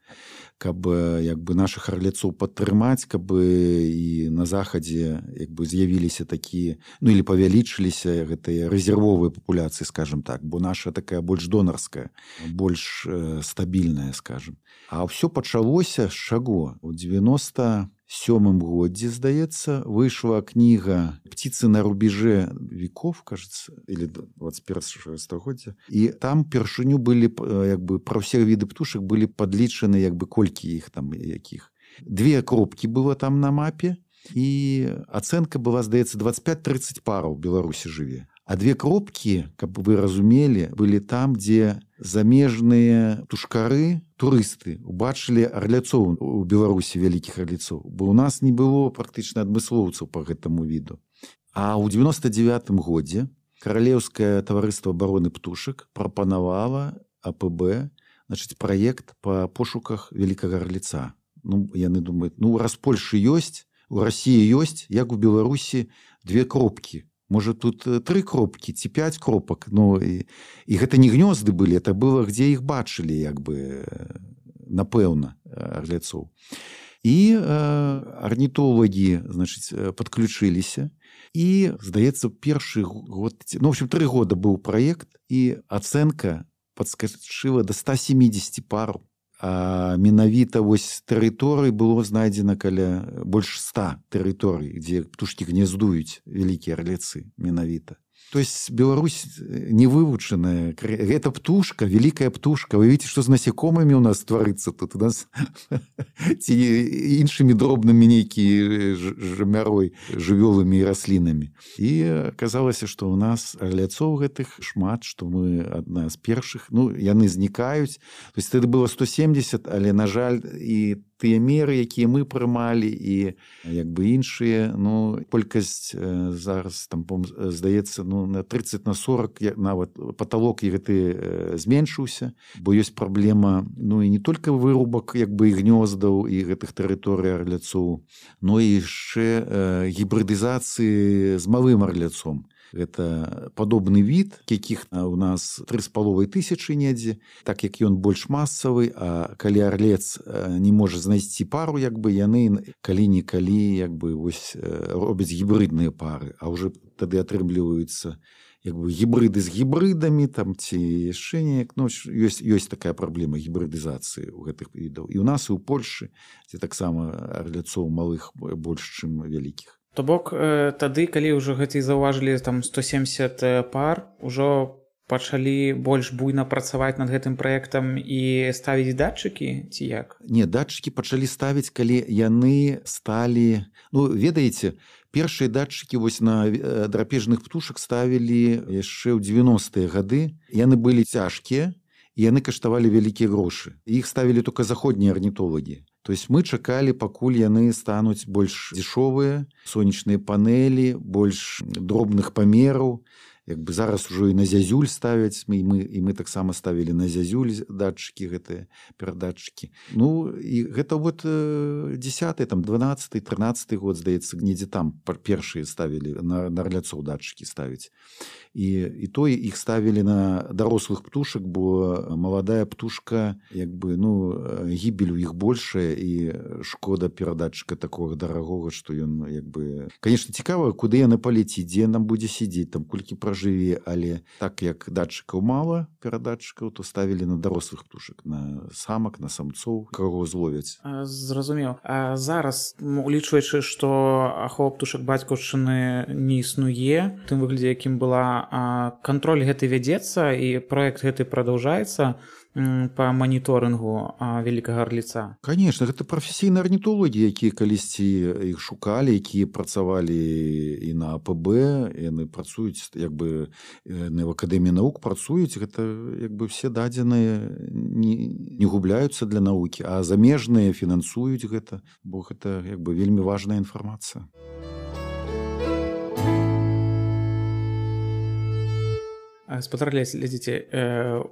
каб як бы нашых арлецоў падтрымаць, каб і на захадзе як бы з'явіліся такія, ну или павялічыліся гэтыя рэзервовыя папуляцыі, скажем так, бо наша такая больш донарская, больш э, стабільная, скажем. А ўсё пачалося з чаго? У девяносто сёмым годзе, здаецца, выйшла кніга «Птицы на рубеже веков», кажется, или двадцать первого стагоддзя. І там першыню былі, як бы, пра ўсе віды птушак былі падлічаны, як бы, колькі іх там, якіх. Две кропкі было там на мапе, і ацэнка была, здаецца, двадцать пять тридцать параў у Беларусі жыве. А две кропкі, каб вы разумелі, былі там, дзе замежныя птушкары, турысты, убачылі арляцоў у Беларусі, вялікіх арляцоў. Бо у нас не было практычна адмыслоўцаў па гэтаму віду. А ў девяносто девятым годзе Каралеўскае таварыства абароны птушак прапанавала А П Б, значыць, праект па пошуках вялікага арляца. Ну, яны думаюць, ну, раз Польшы ёсць, у Расіі ёсць, як у Беларусі две кропкі. Можа, тут тры кропкі ці пять кропак. Ну, і, і гэта не гнёзды былі, это было, дзе іх бачылі, як бы, напэўна, арляцоў. І э, арнітолагі, значыць, падключыліся. І, здаецца, першы год, ну, в общем, тры года быў праект, і ацэнка падскачыла да ста семидесяти параў. А менавіта вось тэрыторый было знайдзена каля больш ста тэрыторый, дзе птушкі гнездуюць, вялікія арлецы менавіта. То есть Беларусь не вывучаная. Это птушка, великая птушка. Вы видите, что с насекомыми у нас творится тут. У нас іншими дробными некие жамярой, жывёлами и раслинами. И оказалось, что у нас арляцоў гэтых шмат, что мы одна з першых. Ну, яны знікаюць. То есть это было сто семьдесят, але, на жаль, и тыя меры, якія мы прымалі, і як бы іншыя, ну, колькасць э, зараз там, здаецца, ну, на тридцать на сорок нават паталок гэты э, зменшыўся, бо ёсць праблема, ну, і не толькі вырубак як бы і гнёздаў і гэтых тэрыторый арляцоў, но і яшчэ э, гібрыдызацыі з малым арляцом. Это падобны від, якіх у нас тры з паловай тысячы недзе, так як ён больш масавы, а калі арлец не можа знайсці пару, як бы яны калі-нікалі як бы вось робяць гібрыдныя пары, а ўжо тады атрымліваюцца як бы гібрыды з гібрыдамі там ці яшчэ неяк, ну, ёсць, ёсць такая праблема гібрыдызацыі ў гэтых відаў. І ў нас і ў Польшы, дзе таксама арляцоў малых больш, чым вялікіх. То бок тады, калі ўжо гэты заўважылі там сто семьдесят пар, ужо пачалі больш буйна працаваць над гэтым праектам і ставіць датчыкі, ці як? Не, датчыкі пачалі ставіць, калі яны сталі, ну, ведаеце, першыя датчыкі вось на драпежных птушак ставілі яшчэ ў дзевяностыя гады. Яны былі цяжкія, і яны каштавалі вялікія грошы. Іх ставілі толькі заходнія арнітолагі. То есть мы чакалі, пакуль яны стануць больш дзешовыя, сонечныя панелі, больш дробных памераў. Як бы зараз ужо і на зязюль ставяць, мы, мы, і мы таксама ставілі на зязюль датчыкі, гэтыя перадатчыкі. Ну, і гэта вот десятый, там, дванаццаты, трынаццаты год, здаецца, недзе там першыя ставілі, на, на арляцоў датчыкі ставіць. І, і то іх ставілі на дарослых птушак, бо маладая птушка, як бы, ну, гібель у іх большая, і шкода перадатчыка такога дарагога, што ён, як бы... Конечно, цікава, куды яна палеціць, дзе нам будзе сидзець, там, колькі пражыве, але так як датчыкаў мала, перадатчыкаў, то ставілі на дарослых птушак, на самак, на самцоў, каго зловяць. Зразумеў. А зараз, улічваючы, што ахова птушак бацькаўшчыны не існуе, тым выглядзе, якім была, кантроль гэты вядзецца, і праект гэты прадаўжаецца по моніторынгу великага арліца? Конечно, гэта прафесійныя арнітолагі, якія калісьці іх шукалі, якія працавалі і на АПБ, яны працуюць, як бы, на акадэміі навук працуюць, гэта, як бы, все дадзеныя не, не губляюцца для навукі, а замежныя фінансуюць гэта, бо гэта, як бы, вельмі важная інфармацыя. Спадар глядзіце,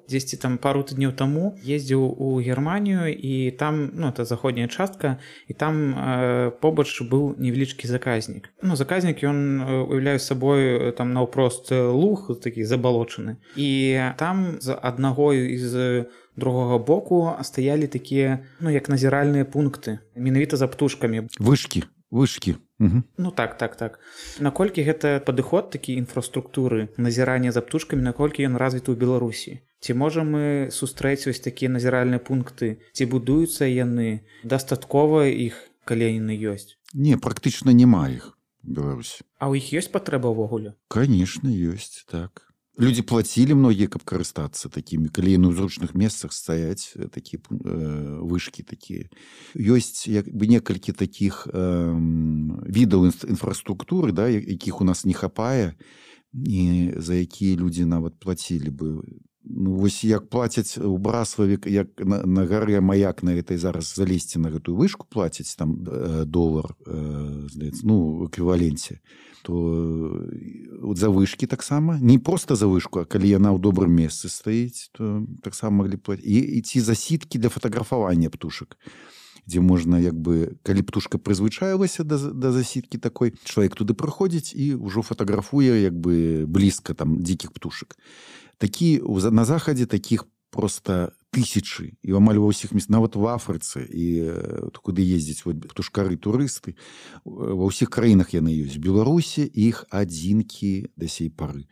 дзесьці там пару тыдняў таму ездзіў у Германію, і там, ну, это заходняя частка, і там э, побач быў невялічкі заказнік. Ну, заказнік, ён уяўляе сабой там наўпрост луг, такі забалочаны. І там з аднаго і з другога боку стаялі такія, ну, як назіральныя пункты, менавіта за птушкамі. Вышкі, вышкі. Угу. Ну так, так, так. Наколькі гэта падыход такі інфраструктуры назірання за птушкамі, наколькі ён развіты ў Беларусі? Ці можам мы сустрэць вось такія назіральныя пункты? Ці будуюцца яны? Дастаткова іх, калі яны ёсць? Не, практычна няма іх у Беларусі. А ў іх ёсць патрэба ўвогуле? Конечно, ёсць, так. Людзі плацілі многія, каб карыстацца такімі, калі яны ў зручных месцах стаяць, такія э, вышкі такія. Ёсць як бы некалькі такіх э, відаў інфраструктуры, да, якіх у нас не хапае, і за якія людзі нават плацілі бы. Ну, вось як плацяць у Браславе, як на, на гары Маяк на этой зараз залезці на гэтую вышку плацяць, там э, долар, э, здаецца, ну, у эквіваленце, то э, за вышкі таксама, не проста за вышку, а калі яна ў добрым месцы стаіць, то таксама маглі плаціць. І, і ці засіткі для фатаграфавання птушак, дзе можна, як бы, калі птушка прызвычаілася да, да засіткі такой, чалавек туды прыходзіць і ўжо фатаграфуе, як бы, блізка там дзікіх птушак. Такі, на захадзе такіх проста тысячы і амаль ва ўсіх мест, нават в Афрыцы і куды ездзяць вот, птушкары турысты, ва ўсіх краінах яны ёсць. Беларусі іх адзінкі да сей пары.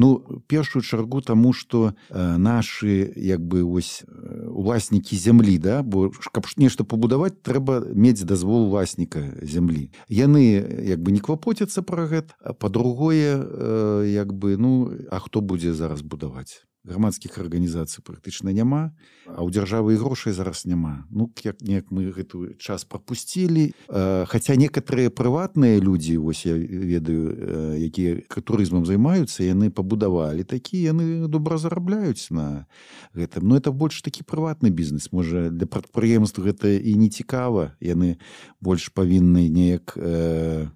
Ну, першую чаргу таму, што э, нашы як бы ось уласнікі зямлі, да, бо каб нешта пабудаваць, трэба мець дазвол уласніка зямлі. Яны як бы не клапоцяцца пра гэта, а па-другое э, як бы, ну, а хто будзе зараз будаваць? Грамадскіх арганізацый практычна няма, а ў дзяржавы і грошай зараз няма. Ну, як неяк мы гэты час прапусцілі. Хаця некаторыя прыватныя людзі, вось я ведаю, якія турызмам займаюцца, яны пабудавалі такі, яны добра зарабляюць на гэтым. Но это больш такі прыватны бізнес. Можа, для прадпрыемств гэта і не цікава. Яны больш павінны неяк э,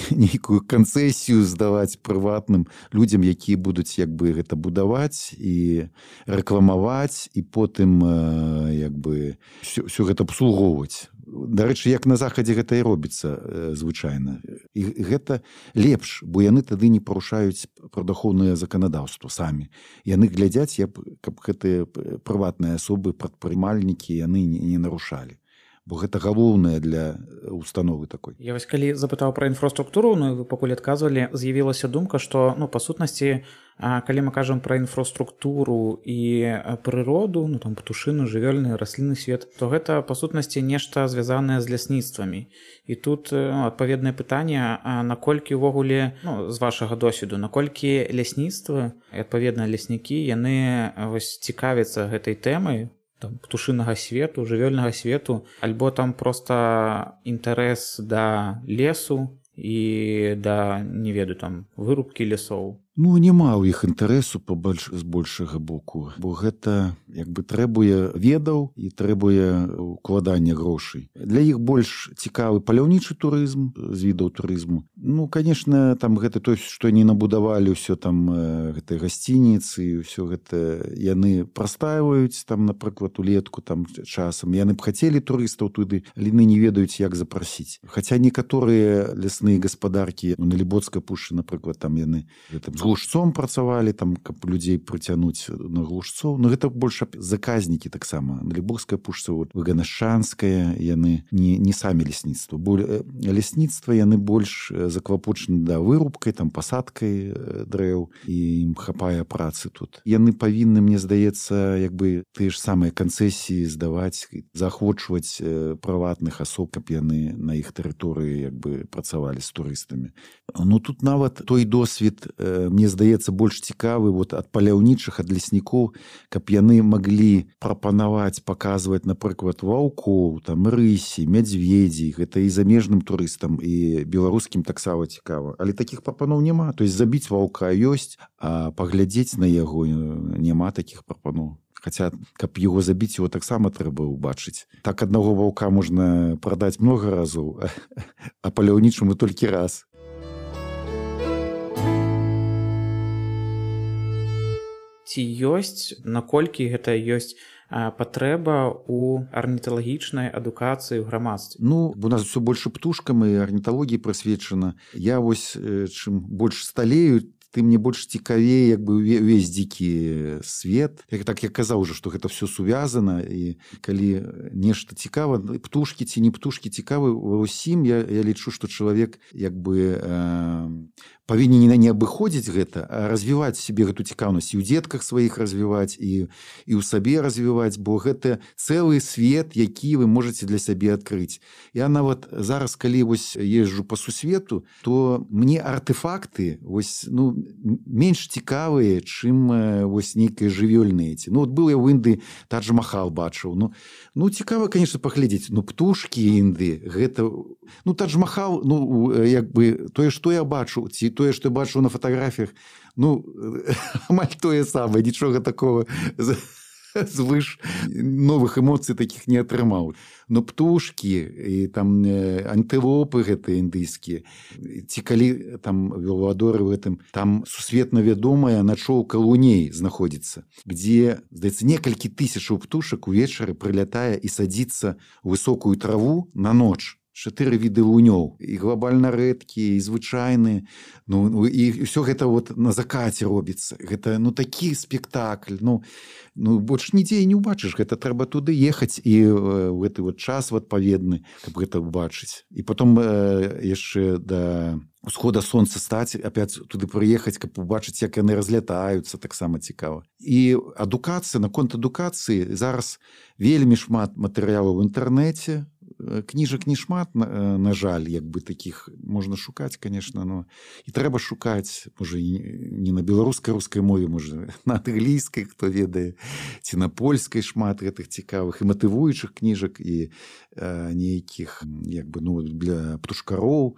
нейкую канцэсію здаваць прыватным людзям, якія будуць як бы гэта будаваць і рэкламаваць і потым як бы все, все гэта абслугоўваць. Дарэчы, як на захадзе гэта і робіцца звычайна. І гэта лепш, бо яны тады не парушаюць прадахоўнае заканадаўства самі. Яны глядзяць, каб гэтыя прыватныя асобы, прадпрымальнікі яны не нарушалі. Бо гэта галоўнае для установы такой. Я вось калі запытаў пра інфраструктуру, ну вы пакуль адказвалі, з'явілася думка, што ну па сутнасці, калі мы кажам пра інфраструктуру і прыроду, ну там птушыны, жывёльны, раслінны свет, то гэта па сутнасці нешта звязанае з лясніцтвамі. І тут ну, адпаведнае пытанне, а наколькі ўвогуле, ну, з вашага досведу, наколькі лясніцтва і адпаведна леснікі, яны вось цікавяцца гэтай тэмай, там, птушынага свету, жывёльнага свету, альбо там проста інтарэс да лесу і да, не ведаю, там, вырубкі лясоў. Ну, няма ў іх інтарэсу побольш, з большага боку, бо гэта як бы трэбуе ведаў і трэбуе укладання грошай. Для іх больш цікавы паляўнічы турызм з відаў турызму. Ну, конечно, там гэта то, што не набудавалі ўсё там гэтай гасцініцы, ўсё гэта яны прастаиваюць там, напрыклад, улетку там часам. Яны б хацелі турыстаў туды, але яны не ведаюць, як запрасіць. Хаця некаторыя лясныя гаспадаркі, ну, на Лібоцкай пушчы, напрыклад, там яны там глушцом працавалі, там, каб людзей прыцянуць на глушцоў. Но гэта больш заказнікі таксама. На Лібоцкай пушчы, вот, Выганашчанская, яны не, не самі лясніцтва. Бо лясніцтва яны больш заклапочаны да вырубкай, там, пасадкай дрэў, і ім хапае працы тут. Яны павінны, мне здаецца, як бы тыя ж самыя канцэсіі здаваць, заахвочваць прыватных асоб, каб яны на іх тэрыторыі як бы працавалі з турыстамі. Ну, тут нават той досвед, мне здаецца, больш цікавы вот, ад паляўнічых, ад леснікоў, каб яны маглі прапанаваць, паказваць, напрыклад, ваўкоў, там, рысі, мядзведзі. Гэта і замежным турыстам, і беларускім таксама цікава. Але такіх прапаноў няма. То есть забіць ваўка ёсць, а паглядзець на яго няма такіх прапаноў. Хаця, каб яго забіць, яго таксама трэба ўбачыць. Так аднаго ваўка можна прадаць многа разоў, а паляўнічаму толькі раз. Ці ёсць, наколькі гэта ёсць патрэба ў арніталагічнай адукацыі ў грамадстве? Ну, у нас все больше птушкам і арніталогіі прысвечана. Я вось, чым больш сталею, тым мне больш цікавее як бы увесь дзікі свет. Як так я казаў уже, што гэта все сувязана, і калі нешта цікава, птушкі ці не птушкі цікавы ва ўсім, я, я лічу, што чалавек як бы э, павінен не абыходзіць гэта, а развіваць сябе гэту цікаўнасць і ў дзетках сваіх развіваць, і, і ў сабе развіваць, бо гэта цэлы свет, які вы можаце для сябе адкрыць. Я нават зараз, калі вось езджу па сусвету, то мне артефакты вось, ну, менш цікавыя, чым вось нейкія жывёльныя. Ну, вот был я ў Індыі, Тадж-Махал бачыў. Ну, ну цікава, конечно, паглядзець. Ну, птушкі Індыі, гэта... Ну, Тадж-Махал, ну, як бы, тое, што я бачу, ці тое, што я бачу на фатаграфіях, ну, амаль тое самае, нічога такого звыш новых эмоцый таких не атрымаў. Но птушкі і там антылопы гэтыя індыйскія, ці калі там веладоры в этом, там сусветна вядомая начоўка луней знаходзіцца, где, здаецца, некалькі тысячаў птушак увечары прылятае і садзіцца ў высокую траву на ноч, чатыры віды лунёў, і глобальна рэдкія, і звычайныя. Ну, і ўсё гэта вот на закаце робіцца. Гэта, ну, такі спектакль. Ну, ну больш нідзе і не ўбачыш. Гэта трэба туды ехаць і ў гэты вот час адпаведны, каб гэта ўбачыць. І потом э, яшчэ да усхода сонца стаць, опять туды прыехаць, каб убачыць, як яны разлятаюцца, таксама цікава. І адукацыя, наконт адукацыі зараз вельмі шмат матэрыялаў у інтэрнэце, кніжак не шмат, на, на жаль, як бы такіх можна шукаць, конечно, но і трэба шукаць, можа, не на беларускай, рускай мове, можа, на англійскай, хто ведае, ці на польскай шмат гэтых цікавых і матывуючых кніжак, і э, нейкіх, як бы, ну, для птушкароў,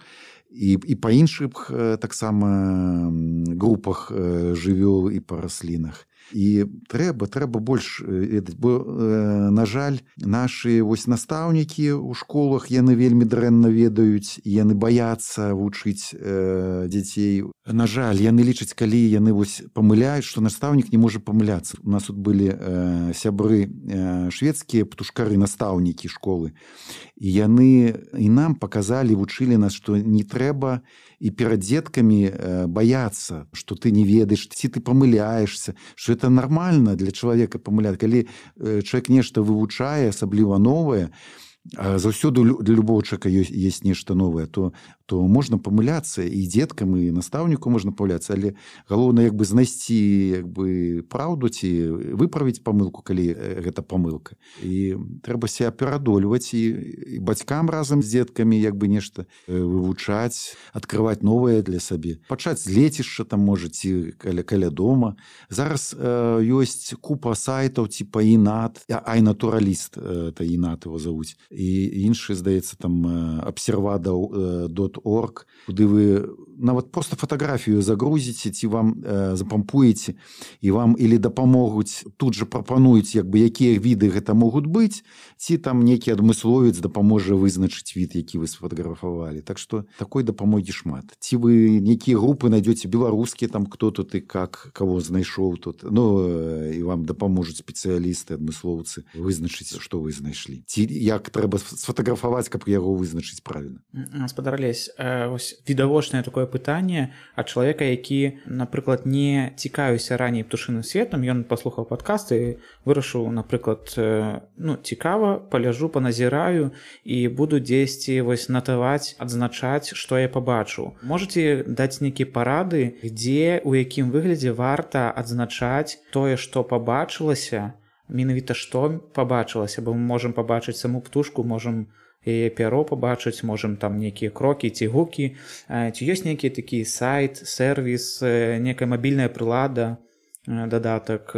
і, і па іншых э, таксама групах э, жывёл і па раслінах. І трэба, трэба больш ведаць, бо, э, на жаль, нашы вось настаўнікі ў школах, яны вельмі дрэнна ведаюць, яны баяцца вучыць э, дзяцей. На жаль, яны лічаць, калі яны вось памыляюць, што настаўнік не можа памыляцца. У нас тут былі э, сябры э, шведскія птушкары, настаўнікі школы, і яны і нам паказалі, вучылі нас, што не трэба і перад дзеткамі э, баяцца, што ты не ведаеш, ці ты памыляешься, што это нормально для чалавека памыляць. Калі э, чалавек нешта вывучае, асабліва новае, а заўсёды для любого чалавека ёсць, ёсць нешта новае, то, то можна памыляцца, і дзеткам, і настаўніку можна памыляцца, але галоўнае, як бы, знайсці, як бы, праўду ці выправіць памылку, калі гэта памылка. І трэба себя перадольваць, і, і бацькам разам з дзеткамі, як бы, нешта вывучаць, адкрываць новае для сабе. Пачаць з лецішча, там, можа, ці каля, каля дома. Зараз э, ёсць купа сайтаў, типа Інат, Айнатураліст, э, это Інат его завуць. І іншы, здаецца, там абсервада дот орг, куды вы нават проста фатаграфію загрузіце, ці вам э, запампуеце, і вам или дапамогуць, тут же прапануюць, як бы, якія віды гэта могуць быць, ці там некі адмысловец дапаможа вызначыць від, які вы сфотаграфавалі. Так што такой дапамогі шмат. Ці вы некія групы найдёце беларускія, там, кто тут і как, кого знайшоў тут, ну, і вам дапаможуць спецыялісты, адмыслоўцы вызначыць, што вы знайшлі. Ці як трэба сфотаграфаваць, каб яго вызначыць правільна. Гаспадар Алесь, вось відавочнае такое пытанне ад чалавека, які, напрыклад, не цікавіўся раней птушыным светам, ён паслухаў падкаст і вырашыў, напрыклад, ну, цікава, паляжу, паназіраю і буду дзесьці вось натаваць, адзначаць, што я пабачыў. Можаце даць нейкія парады, дзе, у якім выглядзе варта адзначаць тое, што пабачылася, менавіта што пабачылася, бо мы можам пабачыць саму птушку, можам яе пяро пабачыць, можам там нейкія крокі ці гукі. Ці ёсць нейкі такі сайт, сервіс, некая мабільная прылада, дадатак,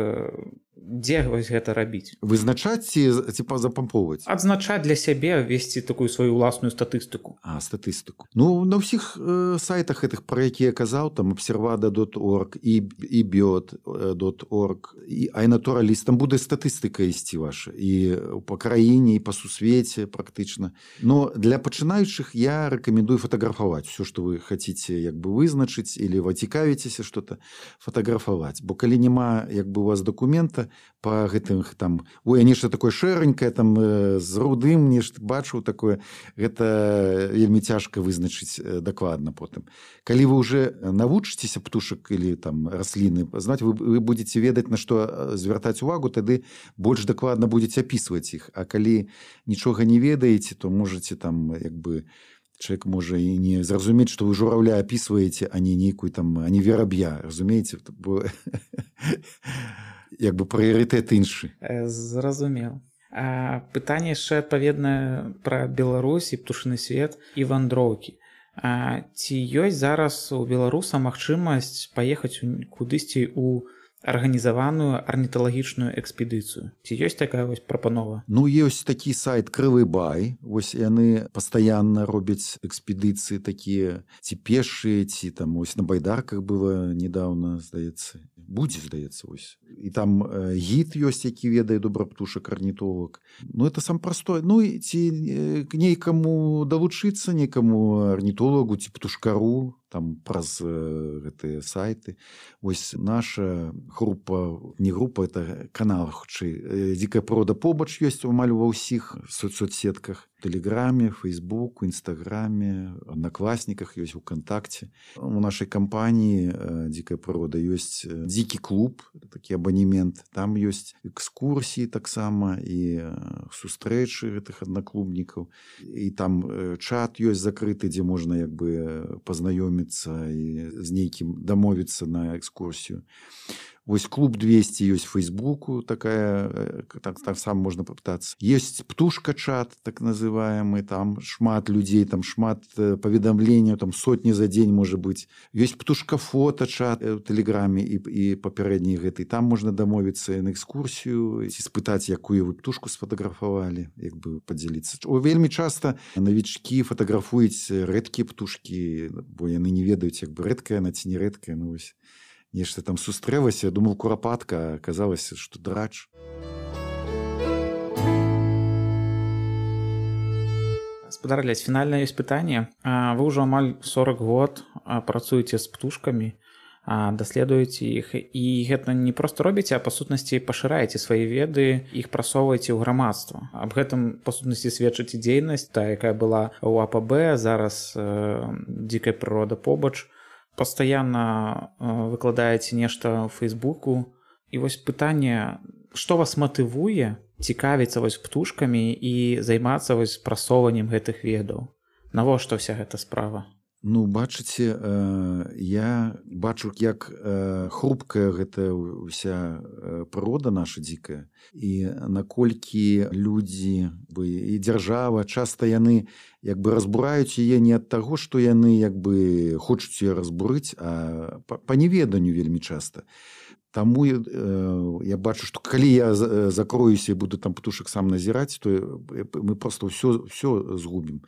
дзе вось гэта рабіць? Вызначаць ці, ці запампоўваць? Адзначаць для сябе, весці такую сваю ўласную статыстыку. А, статыстыку. Ну, на ўсіх э, сайтах гэтых, пра якія я казаў, там абсервада дот орг, і, і біот дот орг, і Айнатураліст, там будзе статыстыка ісці ваша, і па краіне, і па сусвеце практычна. Но для пачынаючых я рэкамендую фатаграфаваць все, што вы хаціце, як бы, вызначыць, или вы цікавіцеся што-то, фатаграфаваць. Бо калі няма, як бы, у вас дакумента по гэтым там, ой, а нешта такое шэранькае, там з рудым нешта бачыў такое, гэта вельмі цяжка вызначыць дакладна потым. Калі вы уже навучыцеся птушак или там расліны знаць, вы, вы будете ведаць, на што звяртаць увагу, тады больш дакладна будете апісваць іх. А калі нічога не ведаеце, то можете там, як бы, человек можа і не зразумець, што вы журавля апісваеце, а не нейкую там, а не вераб'я, разумееце? Бо як бы прыярытэт іншы. Зразумеў. А, пытанне яшчэ адпаведнае пра Беларусь і птушыны свет і вандроўкі. А, ці ёсць зараз у беларуса магчымасць паехаць кудысьці ў арганізаваную арніталагічную экспедыцыю? Ці ёсць такая вось прапанова? Ну, ёсць такі сайт Крывы Бай. Вось яны пастаянна робяць экспедыцыі такія, ці пешыя, ці там ось на байдарках было недавно, здаецца. Будзе, здаецца, вось. І там э, гід ёсць, які ведае добра птушак, арнітолог. Ну, это сам простой. Ну, і ці э, нейкаму далучыцца, некаму арнітолагу, ці птушкару, там праз э, гэтыя сайты. Вось наша група, не група, это канал, хутчэй, э, дзікая прырода побач ёсць амаль ва ўсіх соцсетках. Тэлеграме, Фейсбуку, Інстаграме, Аднакласніках ёсць, УКонтакце. У нашай кампаніі «Дзікая прырода» ёсць дзікі клуб, такі абанемент. Там ёсць экскурсіі таксама і сустрэчы гэтых аднаклубнікаў. І там чат ёсць закрыты, дзе можна як бы пазнаёміцца і з нейкім дамовіцца на экскурсію. Вось клуб двести ёсць в Фейсбуку, такая, так, так сам можна попытаться. Есть птушка-чат, так называемый, там шмат людей, там шмат паведамленняў, там сотни за день, может быть. Есть птушка-фото-чат в Телеграме и, и папярэдні гэтай. Там можно дамовіцца на экскурсію, спытаць, якую вы птушку сфотаграфавалі, як бы подзяліцца. Вельмі часто новички фотаграфуюць рэдкія птушкі, бо яны не ведаюць, як бы рэдкая она ці не рэдкая, ну вось. Нешта там сустрэлася, думал курапатка, а аказалася, што драч. Спадар Алесь, фінальна ёсць пытанне. Вы ўжо амаль сорок год працуеце з птушкамі, даследуеце іх, і гэта не проста робіце, а па сутнасці пашыраеце свае веды, іх прасоўваеце ў грамадства. Аб гэтым па сутнасці сведчыць і дзейнасць, та, якая была ў А П Б, зараз «Дзікая прырода» побач. Пастаянна выкладаеце нешта ў Фейсбуку. І вось пытанне, што вас матывуе цікавіцца вось птушкамі і займацца вось прасоўваннем гэтых ведаў? Навошта ўся гэта справа? Ну, бачыце, я бачу, як хрупкая гэта ўся прырода наша дзікая, і наколькі людзі і дзяржава часта яны як бы разбураюць яе не ад таго, што яны як бы хочуць яе разбурыць, а па неведанню вельмі часта. Таму э, я бачу, што калі я закроюся і буду там птушак сам назіраць, то мы просто ўсё, ўсё згубім.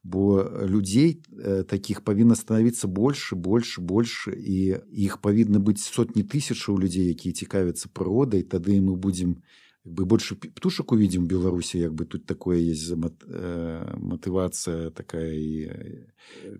Бо людзей э, такіх павінна становіцца больш, больш, больш, і іх павінна быць сотні тысячаў людзей, якія цікавяцца прыродай, тады мы будзем бы больше птушек увидим в Беларуси, як бы тут такое есть мотивация такая и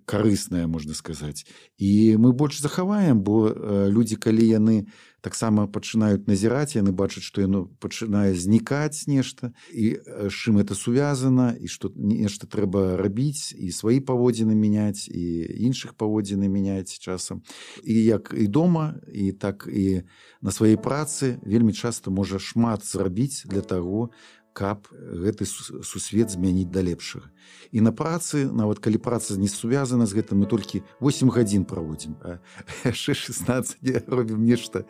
корыстная, можно сказать. И мы больше захаваем, бо люди, калі яны таксама пачынаюць назіраць, яны бачаць, што яно пачынае знікаць нешта, і з чым это сувязана, і што нешта трэба рабіць, і свае паводзіны мяняць, і іншых паводзіны мяняць часам. І як і дома, і так і на сваёй працы вельмі часта можа шмат зрабіць для таго, каб гэты сусвет змяніць да лепшага. І на працы, нават калі праца не сувязана з гэтым, мы толькі восемь гадзін праводзім, а яшчэ шестнадцать робім нешта,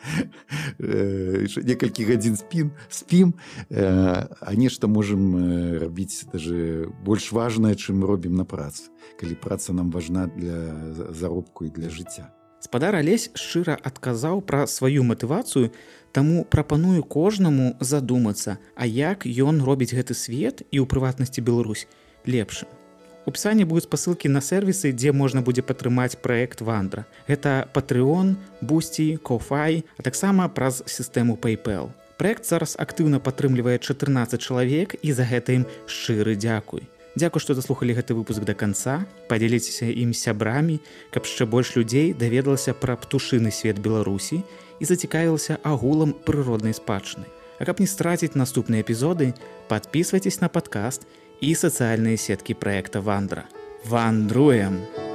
некалькі гадзін спім, спім, а нешта можам рабіць даже больш важнае, чым мы робім на працы, калі праца нам важна для заробку і для жыцця. Спадар Алесь шчыра адказаў пра сваю матывацыю, таму прапаную кожнаму задумацца, а як ён робіць гэты свет і ў прыватнасці Беларусь лепшым. У апісанні будуць спасылкі на сервісы, дзе можна будзе падтрымаць праект Вандра. Гэта Patreon, Boosty, Ko-fi, а таксама праз сістэму PayPal. Праект зараз актыўна падтрымлівае чатырнаццаць чалавек, і за гэта ім шчыры дзякуй. Дзякуй, што заслухалі гэты выпуск да канца. Падзяліцеся ім з сябрамі, каб яшчэ больш людзей даведалася пра птушыны свет Беларусі і зацікавілася агулам прыроднай спадчыны. А каб не страціць наступныя эпізоды, падпісвайцеся на падкаст і сацыяльныя сеткі праекта Вандра. Вандруем!